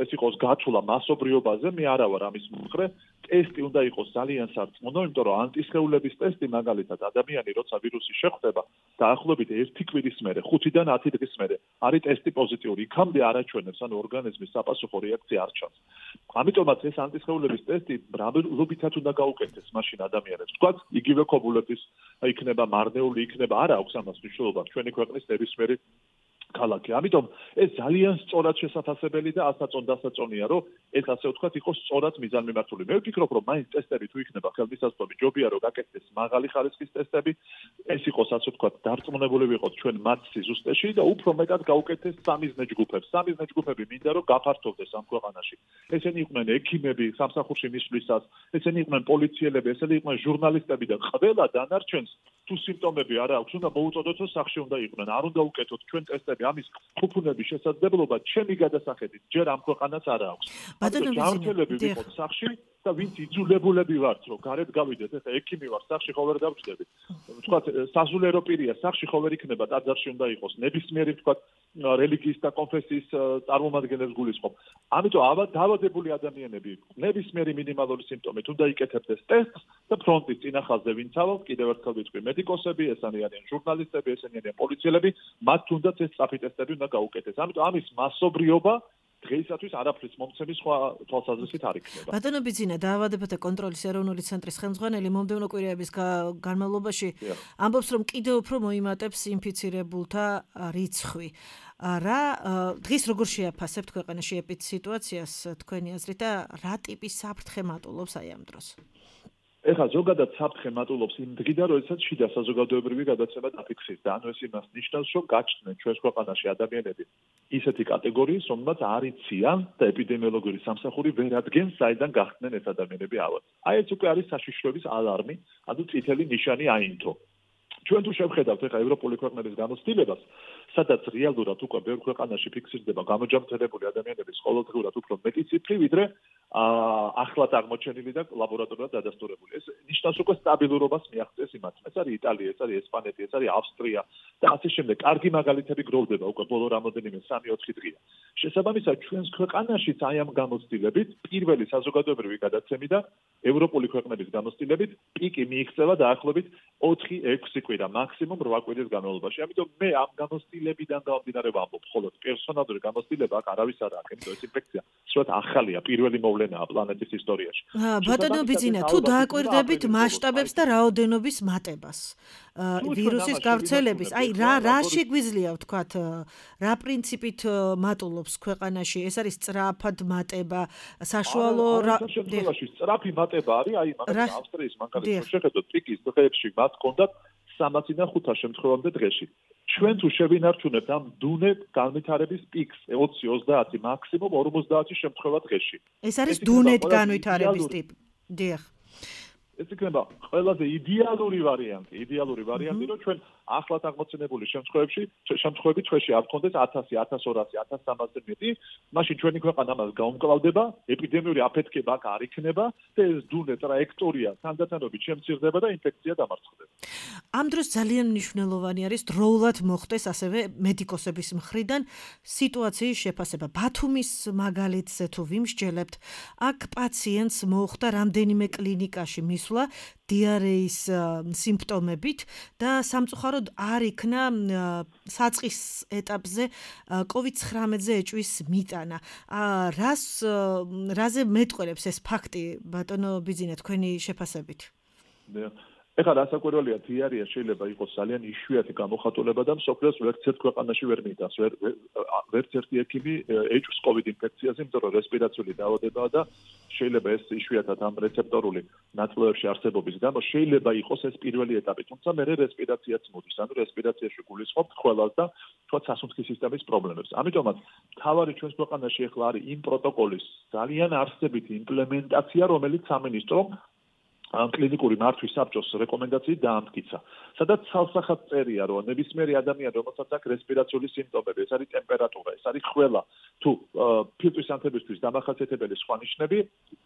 ეს იყოს გათვლა მასობრიობაზე, მე არა ვარ ამის მომხრე. ტესტი უნდა იყოს ძალიან სარწმუნო, იმიტომ რომ ანტისხეულების ტესტი მაგალითად ადამიანი როცა ვირუსი შეხვდება, დაახლოებით ერთი კვირის მერე, ხუთიდან ათი დღის მერე არის ტესტი პოზიტიური. იქამდე არაჩვენებს, ანუ ორგანიზმის საპასუხო რეაქცია არ ჩანს. ამიტომაც ეს ანტისხეულების ტესტი მრავლობითად უნდა გაუკეთდეს მაშინ ადამიანებს. თქვათ, იგივე ქობულეთის იქნება მარნეული, იქნება, არა აქვს ამას მნიშვნელობა ჩვენი ქვეყნის ნებისმიერი ქალაქი. ამიტომ ეს ძალიან სწორად შესაძლებელი და ასაწონდასაწონია, რომ ეს ასე ვთქვათ იყოს სწორად მიზანმიმართული. მე ვფიქრობ, რომ მაინც ტესტები თუ იქნება ხელმისაწვდომი, ჯობია რომ გაკეთდეს მაღალი ხარისხის ტესტები, ეს იყოს ასე ვთქვათ დარწმუნებული ვიყოთ ჩვენ მათ სიზუსტეში და უფრო მეტად გაუკეთდეს სამიზნე ჯგუფებს. სამიზნე ჯგუფები მინდა რომ გაფართოვდეს ამ ქვეყანაში. ესენი იყვნენ ექიმები სამსახურში მისვლისას, ესენი იყვნენ პოლიციელები, ესენი იყვნენ ჟურნალისტები და ყველა დანარჩენს თუ სიმპტომები არ აქვს, უნდა მოუწოდოთ სახში უნდა იყვნენ. არ უნდა უკეთოთ ჩვენ ტესტები ამის ხუფუნების შესაძლებლობა ჩემი გადასახედით ჯერ ამ ქვეყანას არ აქვს. ბატონო ჯანმრთელები ვიყოთ სახში და ვინც იძულებულები ვართ, რომ გარეთ გავიდეთ, ეხლა ექიმი ვარ, სახში ხო ვერ დავჭდები. ვთქვათ, საზულერო პირია, სახში ხო ვერ იქნება, ტაძარში უნდა იყოს. ნებისმიერი ვთქვათ, რელიგიის და კონფესიის წარმომადგენლებს გულისხმობ. ამიტომ დაავადებული ადამიანები ნებისმიერი მინიმალური სიმპტომით უნდა იკეთებდეს ტესტს და ფრონტის წინახალზე ვინც ავალ, კიდევ ერთხელ ვიტყვი, მედიკოსები, ესენი არიან ჟურნალისტები, ესენი არიან პოლიციელები, მათ თუნდაც ეს სწრაფი ტესტები უნდა გაუკეთეს. ამიტომ ამის მასობრიობა დღეისათვის არაფრის მომცემის სხვა თვალსაზრისით არ იქნება. ბატონო ბიზინა, დაავადებათა კონტროლის ეროვნული ცენტრის ხელმძღვანელი მომდევნო კვირაების განმავლობაში ამბობს, რომ კიდევ უფრო მოიმატებს ინფიცირებულთა რიცხვი. რა დღეს როგორ შეაფასებთ ქვეყანაში ეპიდემიის სიტუაციას თქვენი აზრით და რა ტიპის საფრთხე მატულობს აი ამ დროს? ეხლა ზოგადად საფრთხე მატულობს იმ დღიდან, როდესაც შიდა საზოგადოებრივი გადაცემა დაფიქსირდა. ანუ ეს იმას ნიშნავს, რომ გაჩნდნენ ჩვენს ქვეყანაში ადამიანები ისეთი კატეგორიის, რომელმაც არ იციან და ეპიდემიოლოგიური სამსახური ვერ ადგენს, საიდან გახდნენ ეს ადამიანები ავად. აი ეს უკვე არის საშიშროების ალარმი, ანუ წითელი ნიშანი აინთო. ჩვენ თუ შევხედავთ ეხლა ევროპული ქვეყნების გამოცდილებას, სადაც რეალურად უკვე ბევრ ქვეყანაში ფიქსირდება გამოჯამრთელებული ადამიანების ყოველდღიურად უფრო მეტი ციფრი, ვიდრე ახლად აღმოჩენილი და ლაბორატორიულად დადასტურებული. ეს ნიშნავს უკვე სტაბილურობას მიაღწევს იმათ. ეს არის იტალია, ეს არის ესპანეთი, ეს არის ავსტრია და ასე შემდეგ. კარგი მაგალითები გროვდება უკვე ბოლო რამოდენიმე სამი-ოთხი დღეა. შესაბამისად, ჩვენს ქვეყანაშიც აი ამ გამოცდილებით, პირველი საზოგადოებრივი გადაცემიდან ევროპული ქვეყნების გამოცდილებით პიკი მიიღწევა დაახლოებით ოთხი ექვსი კვირა, მაქსიმუმ რვა კვირის განმავლობაში. ამიტომ მე ამ გამოცდილებიდან გამომდინარე ვამბობ, ხოლო პერსონალური გამოცდილება აქ არავის არ აქვს, იმიტომ ეს ინფექცია სწორედ ახალია, პირველი მოვლენაა პლანეტის ისტორიაში. ბატონო ბიძინა, თუ დააკვირდებით მასშტაბებს და რაოდენობის მატებას ვირუსის გავრცელების, აი რა რა შეგვიძლია ვთქვათ, რა პრინციპით მატულობს ქვეყანაში? ეს არის სწრაფად მატება, საშუალო რა შემთხვევაში სწრაფი მატება არის, აი მაგალითად ავსტრიის მანქანით შეხედოთ პიკის დღეებში მათ ჰქონდათ სამასიდან ხუთას შემთხვევამდე დღეში. ჩვენ თუ შევინარჩუნებთ ამ დუნე განვითარების პიკს ოცი ოცდაათი მაქსიმუმ ორმოცდაათი შემთხვევა დღეში. ეს არის დუნეთ განვითარების ტიპი. დიახ. ეს იქნება ყველაზე იდეალური ვარიანტი, იდეალური ვარიანტი, რომ ჩვენ ახლად აღმოცენებული შემთხვევებში, შემთხვევები ჩვენში არ გქონდეს ათასი, ათას ორასი, ათას სამასზე მეტი, მაშინ ჩვენი ქვეყანა ამას გაუმკლავდება, ეპიდემიური აფეთქება აქ არ იქნება და ეს დუნე ტრაექტორია თანდათანობით შემცირდება და ინფექცია დამარცხდება. ამ დროს ძალიან მნიშვნელოვანი არის დროულად მოხდეს ასევე მედიკოსების მხრიდან სიტუაციის შეფასება. ბათუმის მაგალითზე თუ ვიმსჯელებთ, აქ პაციენტს მოუხდა რამდენიმე კლინიკაში მისვლა დიარეის სიმპტომებით და სამწუხაროდ არ იქნა საწყის ეტაპზე კოვიდ ცხრამეტზე ეჭვის მიტანა. რას რაზე მეტყველებს ეს ფაქტი, ბატონო ბიძინა, თქვენი შეფასებით? ეხლა რასაკვირველია, დიარეა შეიძლება იყოს ძალიან იშვიათი გამოხატულება და მსოფლიოს ვერცერთ ქვეყანაში ვერ მიტანს, ვერც ერთი ექიმი ეჭვს კოვიდ ინფექციაზე, იმიტომ რომ რესპირაციული დაავადებაა და შეიძლება ეს იშვიათად ამ რეცეპტორული ნაწილებში არსებობის გამო შეიძლება იყოს ეს პირველი ეტაპი, თუმცა მე რესპირაციაც მოდის, ანუ რესპირაციაში გულისხმობთ ყველას და თქვა სასუნთქის სისტემის პრობლემებს. ამიტომაც თავარი ჩვენს ქვეყანაში ეხლა არის იმ პროტოკოლის ძალიან არსებითი იმპლემენტაცია, რომელიც სამინისტრომ კლინიკური მართვის საბჭოს რეკომენდაციით დაამტკიცა. სადაც ცალსახად წერია, რომ ნებისმიერი ადამიანი, რომელსაც აქვს რესპირაციული სიმპტომები, ეს არის ტემპერატურა, ეს არის ხველა, თუ ფილტვის ანთებისთვის დამახასიათებელი სხვა ნიშნები,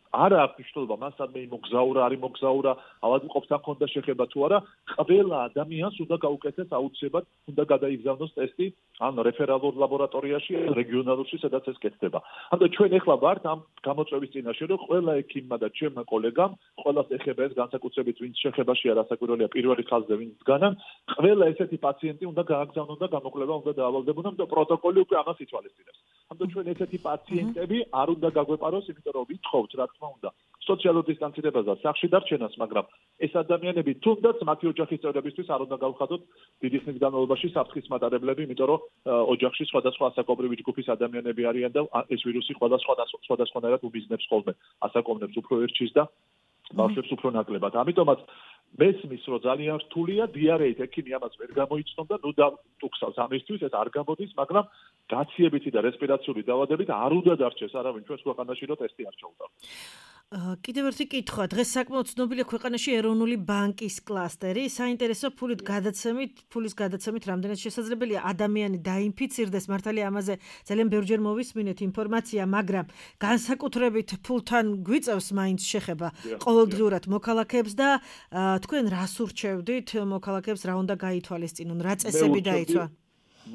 არ აქვს მნიშვნელობა, მას ადმე იმოგზაურა, არ იმოგზაურა, ავადმყოფს არ ქონდა შეხება თუ არა, ყველა ადამიანს უნდა გაუკეთეს აუცილებლად, უნდა გადაიგზავნოს ტესტი ან რეფერალურ ლაბორატორიაში, რეგიონალურში, სადაც ეს კეთდება. ამიტომ ჩვენ ეხლა ვართ ამ გამოწვევის წინაშე, რომ ყველა ექიმმა და ჩემმა კოლეგამ, ყველას ეხება ეს განსაკუთრებით, ვინც შეხებაშია, რასაკვირველია, პირველი ხაზზე ვინც დგანან, ყველა ესეთი პაციენტი უნდა გააგზავნონ და გამოკვლევა უნდა დაავალდებონ, ამიტომ პროტოკოლი უკვე ამას ითვალისწინებს. ამიტომ ჩვენ ესეთი პაციენტები არ უნდა გაგვეპაროს, იმიტომ რომ ვითხოვთ, რა თქმა უნდა, სოციალურ დისტანცირებას და სახლში დარჩენას, მაგრამ ეს ადამიანები თუნდაც მათი ოჯახის წევრებისთვის არ უნდა გავხადოთ დიდი ხნის განმავლობაში საფრთხის მატარებლები, იმიტომ რომ ოჯახში სხვადასხვა ასაკობრივი ჯგუფის ადამიანები არიან და ეს ვირუსი სხვადასხვა სხვადასხვანაირად უბიზნებს ხოლმე, ასაკობნებს უფრო ერჩის და ბავშვებს უფრო ნაკლებად. ამიტომაც მესმის, რომ ძალიან რთულია, დიარეით ექიმი ამას ვერ გამოიცნობდა, ნუ და ტუქსავს ამისთვის, ეს არ გამოდის, მაგრამ გაციებითი და რესპირაციული დაავადებით არ უნდა დარჩეს არავინ ჩვენს ქვეყანაში, რომ ტესტი არ ჩაუტარდეს. კიდევ ერთი კითხვა, დღეს საკმაოდ ცნობილია ქვეყანაში ეროვნული ბანკის კლასტერი, საინტერესო ფულით გადაცემით, ფულის გადაცემით რამდენად შესაძლებელია ადამიანი დაინფიცირდეს, მართალია ამაზე ძალიან ბევრჯერ მოვისმინეთ ინფორმაცია, მაგრამ განსაკუთრებით ფულთან გვიწევს მაინც შეხება ყოველდღიურად მოქალაქეებს და თქვენ რას ურჩევდით მოქალაქეებს, რა უნდა გაითვალისწინონ, რა წესები დაიცვა?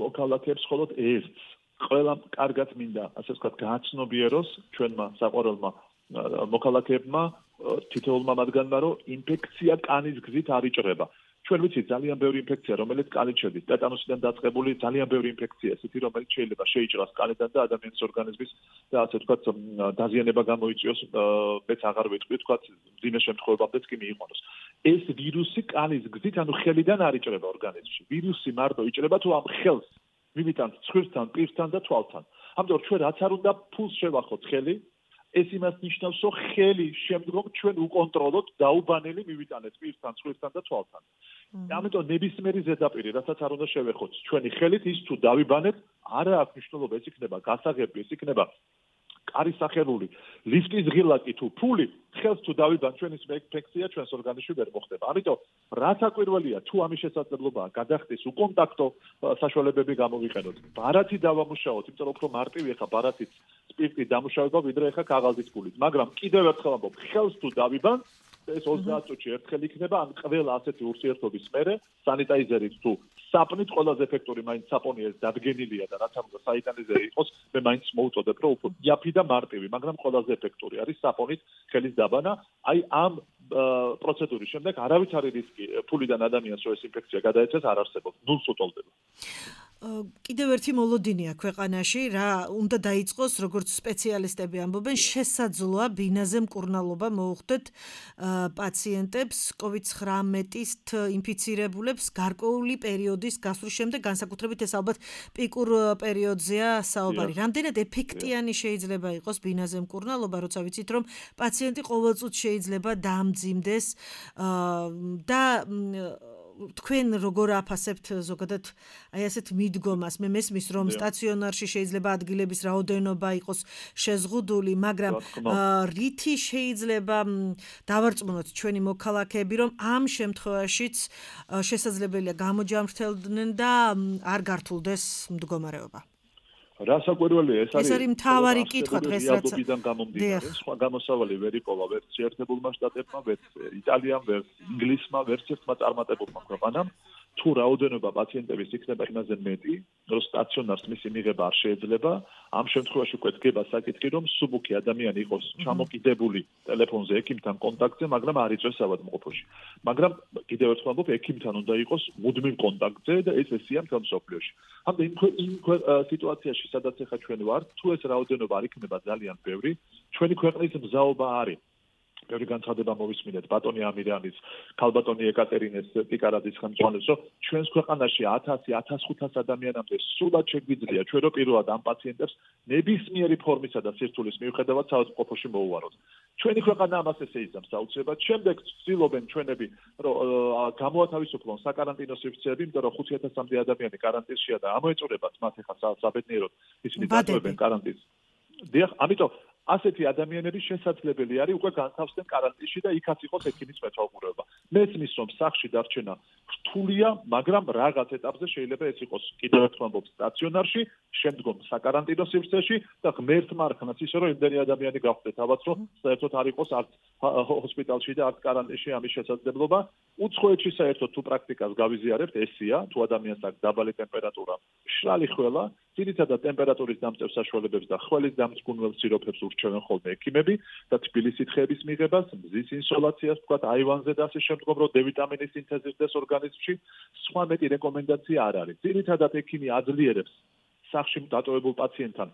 მოქალაქეებს მხოლოდ ერთს, ყველა კარგად მინდა, ასე ვთქვათ, გააცნობიეროს ჩვენმა საყვარელმა მოქალაქეებმა, თითოეულმა მათგანმა, რომ ინფექცია კანის გზით არ იჭრება. ჩვენ ვიცით ძალიან ბევრი ინფექცია, რომელიც კანით შედის, ტეტანუსიდან დაწყებული ძალიან ბევრი ინფექცია, ესეთი, რომელიც შეიძლება შეიჭრას კანიდან და ადამიანის ორგანიზმის და ასე ვთქვათ, დაზიანება გამოიწვიოს, მეც აღარ ვიტყვი, ვთქვათ, მძიმე შემთხვევებამდეც კი მიიყვანოს. ეს ვირუსი კანის გზით, ანუ ხელიდან არ იჭრება ორგანიზმში. ვირუსი მარტო იჭრება თუ ამ ხელს მივიტანთ ცხვირთან, პირთან და თვალთან. ამიტომ ჩვენ რაც არ უნდა ფულს შევახოთ ხელი, ეს იმას ნიშნავს, რომ ხელი შემდგომ ჩვენ უკონტროლოთ დაუბანელი მივიტანეთ პირთან, სხვისთან და თვალთან. ამიტომ ნებისმიერი ზედაპირი, რასაც არ უნდა შევეხოთ, ჩვენი ხელით ის თუ დავიბანეთ, არა აქვს მნიშვნელობა, ეს იქნება გასაღები, ეს იქნება კარის სახელული, ლიფტის ღილაკი თუ ფული, ხელს თუ დავიბან ჩვენი ინფექცია ჩვენს ორგანიზმში ვერ მოხდება. ამიტომ რაც აკვირველია, თუ ამის შესაძლებლობაა გადახდეს უკონტაქტო საშუალებები გამოვიყენოთ. ბარათი დავამუშაოთ, იმიტომ რომ უფრო მარტივი ხა ბარათით სპირტი დამუშავება, ვიდრე ხა კაღაზით ფულით. მაგრამ კიდევ ერთხელ ამბობ, ხელს თუ დავიბან ეს ოცდაათ წუთში ერთხელ იქნება, ან ყველა ასეთი ურთიერთობის მერე სანიტაიზერით თუ საპონით ყველაზე ეფექტური მაინც საპონი ეს დადგენილია და რაც ამბობს საიტანიზერი იყოს, მე მაინც მოვუწოდებ, რომ უფრო იაფი და მარტივი, მაგრამ ყველაზე ეფექტური არის საპონით ხელის დაბანა. აი ამ პროცედურის შემდეგ არავითარი რისკი ფულიდან ადამიანს რომ ეს ინფექცია გადაეცეს არ არსებობს, ნულს უტოლდება. კიდევ ერთი მოლოდინია ქვეყანაში, რა უნდა დაიწყოს, როგორც სპეციალისტები ამბობენ, შესაძლოა ბინაზე მკურნალობა მოუხდეთ პაციენტებს კოვიდ ცხრამეტით ინფიცირებულებს გარკვეული პერიოდის გასვლის შემდეგ, განსაკუთრებით ეს ალბათ პიკურ პერიოდზეა საუბარი. რამდენად ეფექტიანი შეიძლება იყოს ბინაზე მკურნალობა, როცა ვიცით, რომ პაციენტი ყოველწუთს შეიძლება დაამძიმდეს და თქვენ როგორ აფასებთ ზოგადად აი ასეთ მიდგომას? მე მესმის რომ სტაციონარში შეიძლება ადგილების რაოდენობა იყოს შეზღუდული, მაგრამ რითი შეიძლება დავარწმუნოთ ჩვენი მოქალაქეები, რომ ამ შემთხვევაშიც შესაძლებელია გამოჯამრთელდნენ და არ გართულდეს მდგომარეობა? რასაკვირველია, ეს არის ეს არის მთავარი კითხვა დღეს, რაც გამომდინარე, სხვა გამოსავალი ვერ იპოვა ვერც შეერთებულმა შტატებმა, ვერც იტალიამ, ვერც ინგლისმა, ვერც ერთმა წარმატებულმა ქვეყანამ. თუ რაოდენობა პაციენტების იქნება იმაზე მეტი, რომ სტაციონარს მისი მიღება არ შეიძლება, ამ შემთხვევაში უკვე დგება საკითხი, რომ სუბუქი ადამიანი იყოს ჩამოკიდებული ტელეფონზე ექიმთან კონტაქტზე, მაგრამ არ იწვევს ავადმყოფოში. მაგრამ კიდევ ერთხელ ვამბობ, ექიმთან უნდა იყოს მუდმივ კონტაქტზე და ეს ესია მთელ მსოფლიოში. ამდენ იმ სიტუაციაში, სადაც ახლა ჩვენ ვართ, თუ ეს რაოდენობა არ იქნება ძალიან ბევრი, ჩვენი ქვეყნის მზაობა არის. ბევრი განცხადება მოვისმინეთ ბატონი ამირანის, ქალბატონი ეკატერინეს პიკარაძის ხელმძღვანელობს, რომ ჩვენს ქვეყანაში ათასი ათას ხუთას ადამიანამდე სულად შეგვიძლია ჩვენ რო პირველად ამ პაციენტებს ნებისმიერი ფორმისა და სირთულის მიუხედავად საავადმყოფოში მოუვაროთ. ჩვენი ქვეყანა ამას ესე იზამს აუცილებლად. შემდეგ ცდილობენ ჩვენები რომ გამოათავისუფლონ საკარანტინო სივრცეები, იმიტომ რომ ხუთი ათასამდე ადამიანი კარანტინშია და ამოეწურებათ მათ ახლა საბედნიეროდ ისინი დატოვებენ კარანტინს. დიახ, ამიტომ ასეთი ადამიანები შესაძლებელი არის უკვე განთავსდნენ კარანტინში და იქაც იყოს ექიმის მეთვალყურეობა. მესმის რომ სახში დარჩენა რთულია, მაგრამ რაღაც ეტაპზე შეიძლება ეს იყოს კიდევ ერთხელ ვამბობ სტაციონარში, შემდგომ საკარანტინო სივრცეში და ღმერთმა არხნაც ისე რომ იმდენი ადამიანი გავხდეთ ალბათ რომ საერთოდ არ იყოს არც ჰოსპიტალში და არც კარანტინში ამის შესაძლებლობა. უცხოეთში საერთოდ თუ პრაქტიკას გავიზიარებთ, ესია, თუ ადამიანს აქვს დაბალი ტემპერატურა, მშრალი ხველა, ძირითადად ტემპერატურის დამწევ საშუალებებს და ხველის დამწკუნველ სიროფებს ურჩევენ ხოლმე ექიმები და თბილისით ხეების მიღებას, მზის ინსოლაციას, თქვათ აივანზე და ასე შემდგომ, რომ დე ვიტამინის სინთეზირდეს ორგანიზმში, სხვა მეტი რეკომენდაცია არ არის. ძირითადად ექიმი აძლიერებს სახში დატოვებულ პაციენტთან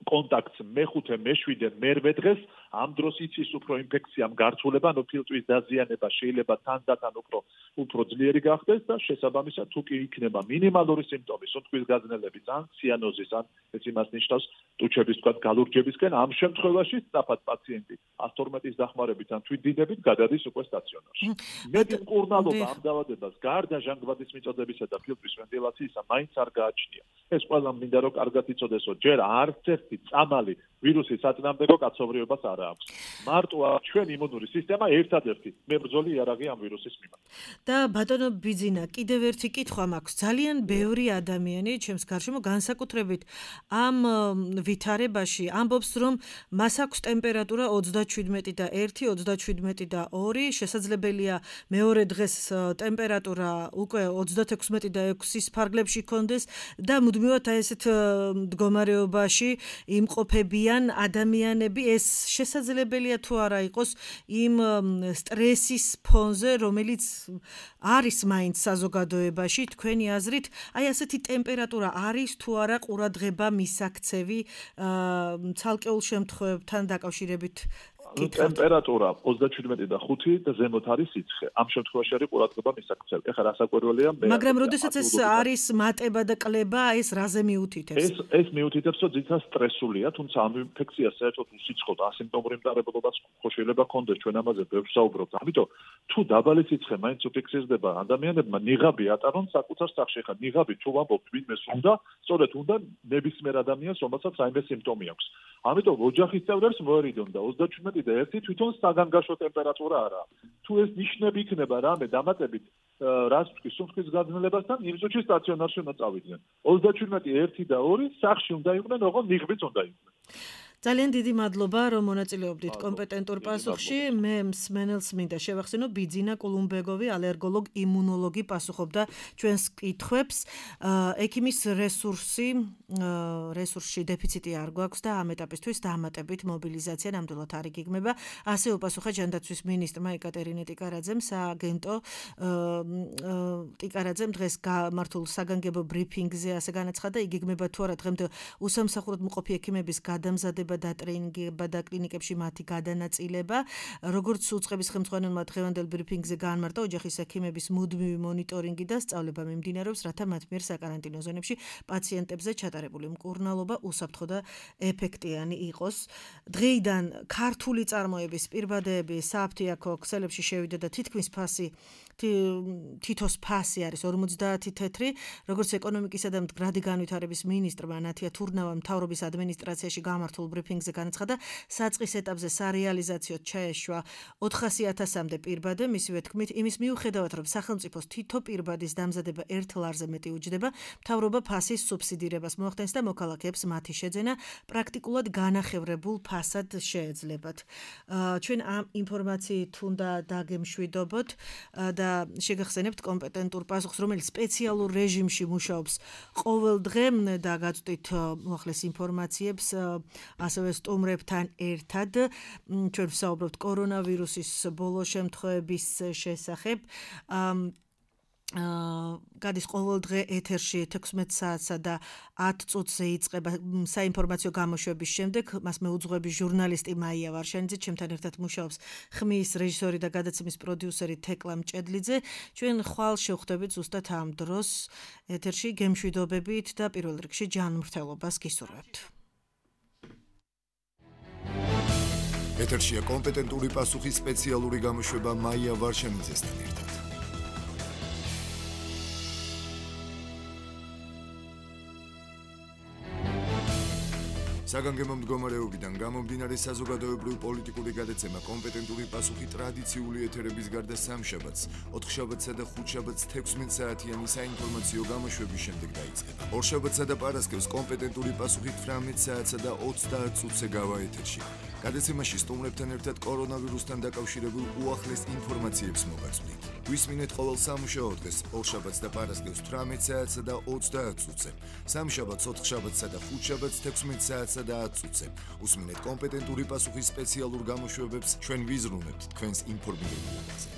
კონტაქტს მეხუთე, მეშვიდე, მერვე დღეს, ამ დროს იცის უფრო ინფექციამ გართულება, ანუ ფილტვის დაზიანება შეიძლება თანდათან უფრო უფრო ძლიერი გახდეს და შესაბამისად თუ კი იქნება მინიმალური სიმპტომი, სუნთქვის გაძნელების ან ციანოზის ან ეს იმას ნიშნავს ტუჩების თქვა გალურჯებისკენ, ამ შემთხვევაში სწრაფად პაციენტი ას თორმეტის დახმარებით ან თვითდიდებით გადადის უკვე სტაციონარში. მეტი მკურნალობა ამ დაავადებას გარდა ჟანგბადის მიწოდებისა და ფილტვის ვენტილაციისა მაინც არ გააჩნია. ეს ყველა მინდა რომ კარგად იცოდესო, ჯერ არც ერთი წამალი ვირუსის საწინააღმდეგო კაცობრიობას არ აქვს. მარტო ჩვენი იმუნური სისტემა ერთადერთი მებრძოლი იარაღი ამ ვირუსის მიმართ. და ბატონო ბიძინა, კიდევ ერთი კითხვა მაქვს. ძალიან ბევრი ადამიანი ჩემს გარშემო განსაკუთრებით ამ ვითარებაში ამბობს, რომ მას აქვს ტემპერატურა ოცდაშვიდმეტი და ერთი, ოცდაშვიდმეტი და ორი, შესაძლებელია მეორე დღეს ტემპერატურა უკვე ოცდათექვსმეტი და ექვსის ფარგლებში კონდეს და მუდმივად აი ესეთ მდგომარეობაში იმყოფებიან ადამიანები. ეს შესაძლებელია თუ არა იყოს იმ სტრესის ფონზე, რომელიც არის მაინც საზოგადოებაში, თქვენი აზრით, აი ასეთი ტემპერატურა არის თუ არა ყურადღება მისაქცევი ცალკეულ შემთხვევებთან დაკავშირებით ტემპერატურა ოცდაჩვიდმეტი და ხუთი და ზემოთ არის სიცხე. ამ შემთხვევაში არის ყურადღება მისაქცევი. ეხლა რასაკვირველია მე მაგრამ როდესაც ეს არის მატება და კლება, ეს რაზე მიუთითებს? ეს ეს მიუთითებს, რომ ძირითადად სტრესულია, თუმცა ამ ინფექციას საერთოდ უსიცხოდ ასიმპტომური მტარებლობას ხო შეიძლება კონდეს, ჩვენ ამაზე ბევრს საუბრობთ. ამიტომ თუ დაბალი სიცხე მაინც უფიქსირდება ადამიანებმა, ნიღაბი ატარონ საკუთარ სახლში. ეხლა ნიღაბი თუ ვამბობთ ვინმეს უნდა, სწორედ უნდა ნებისმიერ ადამიანს, რომელსაც რაიმე სიმპტომი აქვს. ამიტომ ოჯახის წევრებს მოერიდონ და ოცდაჩვიდმეტი და ერთი თვითონ საგანგაშო ტემპერატურა არა. თუ ეს ნიშნები იქნება რამე დამატებით რაც თქვი სუნთქვის გაძნელებასთან, იმ ზოჩი სტაციონარში უნდა წავიდნენ. ოცდაჩვიდმეტი, ერთი და ორი სახლში უნდა იყვნენ, ოღონდ ნიღბიც უნდა იყვნენ. ძალიან დიდი მადლობა, რომ მონაწილეობდით კომპეტენტურ პასუხში. მე მსმენელს მინდა შევახსენო, ბიძინა კულუმბეგოვი, ალერგოლოგ, იმუნოლოგი პასუხობდა ჩვენს კითხვებს. ექიმის რესურსი, რესურსში დეფიციტი არ გვაქვს და ამ ეტაპისთვის დამატებით მობილიზაცია ნამდვილად არ იგეგმება. ასე უპასუხა ჯანდაცვის მინისტრმა ეკატერინე ტიკარაძემ, სააგენტო ტიკარაძემ დღეს გამართულ საგანგებო ბრიფინგზე ასე განაცხადა, იგეგმება თუ არა დღემდე უსამსახუროდ მყოფი ექიმების გადამზადება და ტრეინინგება და კლინიკებში მათი გადანაწილება. როგორც უწყების ხელმძღვანელმა დღევანდელ ბრიფინგზე გაანმარტა, ოჯახის ექიმების მუდმივი მონიტორინგი და სწავლება მიმდინარეობს, რათა მათ მიერ საკარანტინო ზონებში პაციენტებზე ჩატარებული მკურნალობა უსაფრთხო და ეფექტიანი იყოს. დღეიდან ქართული წარმოების პირბადეები სააფთიაქო ქსელებში შევიდა და თითქმის ფასი თითოს ფასი არის ორმოცდაათი თეთრი, როგორც ეკონომიკისა და მდგრადი განვითარების მინისტრმა ნათია თურნავამ მთავრობის ადმინისტრაციაში გამართულ ბრიფინგზე განაცხადა, საწყის ეტაპზე სარეალიზაციოდ ჩაეშვა ოთხასი ათასამდე პირბადე, მისივე თქმით, იმის მიუხედავად, რომ სახელმწიფოს თითო პირბადის დამზადება ერთ ლარზე მეტი უჯდება, მთავრობა ფასის სუბსიდირებას მოახდენს და მოქალაქეებს მათი შეძენა პრაქტიკულად განახევრებულ ფასად შეეძლებათ. ჩვენ ამ ინფორმაციით უნდა დაგემშვიდობოთ და შეგახსენებთ კომპეტენტურ პასუხს, რომელიც სპეციალურ რეჟიმში მუშაობს ყოველ დღე და გაწვდით უახლეს ინფორმაციებს ასევე სტუმრებთან ერთად. ჩვენ ვსაუბრობთ კორონავირუსის ბოლო შემთხვევების შესახებ. გადის ყოველ დღე ეთერში თექვსმეტ საათსა და ათ წუთზე იწყება საინფორმაციო გამოშვების შემდეგ. მას მეუძღვები ჟურნალისტი მაია ვარშანიძე, ჩემთან ერთად მუშაობს ხმის რეჟისორი და გადაცემის პროდიუსერი თეკლა მჭედლიძე. ჩვენ ხვალ შევხვდებით ზუსტად ამ დროს ეთერში, გემშვიდობებით და პირველ რიგში ჯანმრთელობას გისურვებთ. ეთერშია კომპეტენტური პასუხის სპეციალური გამოშვება მაია ვარშანიძესთან ერთად. საგანგებო მდგომარეობიდან გამომდინარე საზოგადოებრივ პოლიტიკური გადაცემა კომპეტენტური პასუხი ტრადიციული ეთერების გარდა სამშაბათს, ოთხშაბათსა და ხუთშაბათს თექვსმეტ საათიანი საინფორმაციო გამოშვების შემდეგ დაიწყება. ორშაბათსა და პარასკევს კომპეტენტური პასუხი თვრამეტ საათსა და ოცდაათ წუთზე გავა ეთერში. გადაცემაში სტუმრებთან ერთად კორონავირუსთან დაკავშირებულ უახლეს ინფორმაციებს მოგაწვდით. გვისმინეთ ყოველ სამუშაო დღეს, ორშაბათს და პარასკევს თვრამეტ საათსა და ოცდაათ წუთზე, სამშაბათს, ოთხშაბათსა და ხუთშაბათს თექვსმეტ საათსა და ათ წუთზე. უსმინეთ კომპეტენტური პასუხის სპეციალურ გამოშვებებს, ჩვენ ვიზრუნებთ თქვენს ინფორმირებულობაზე.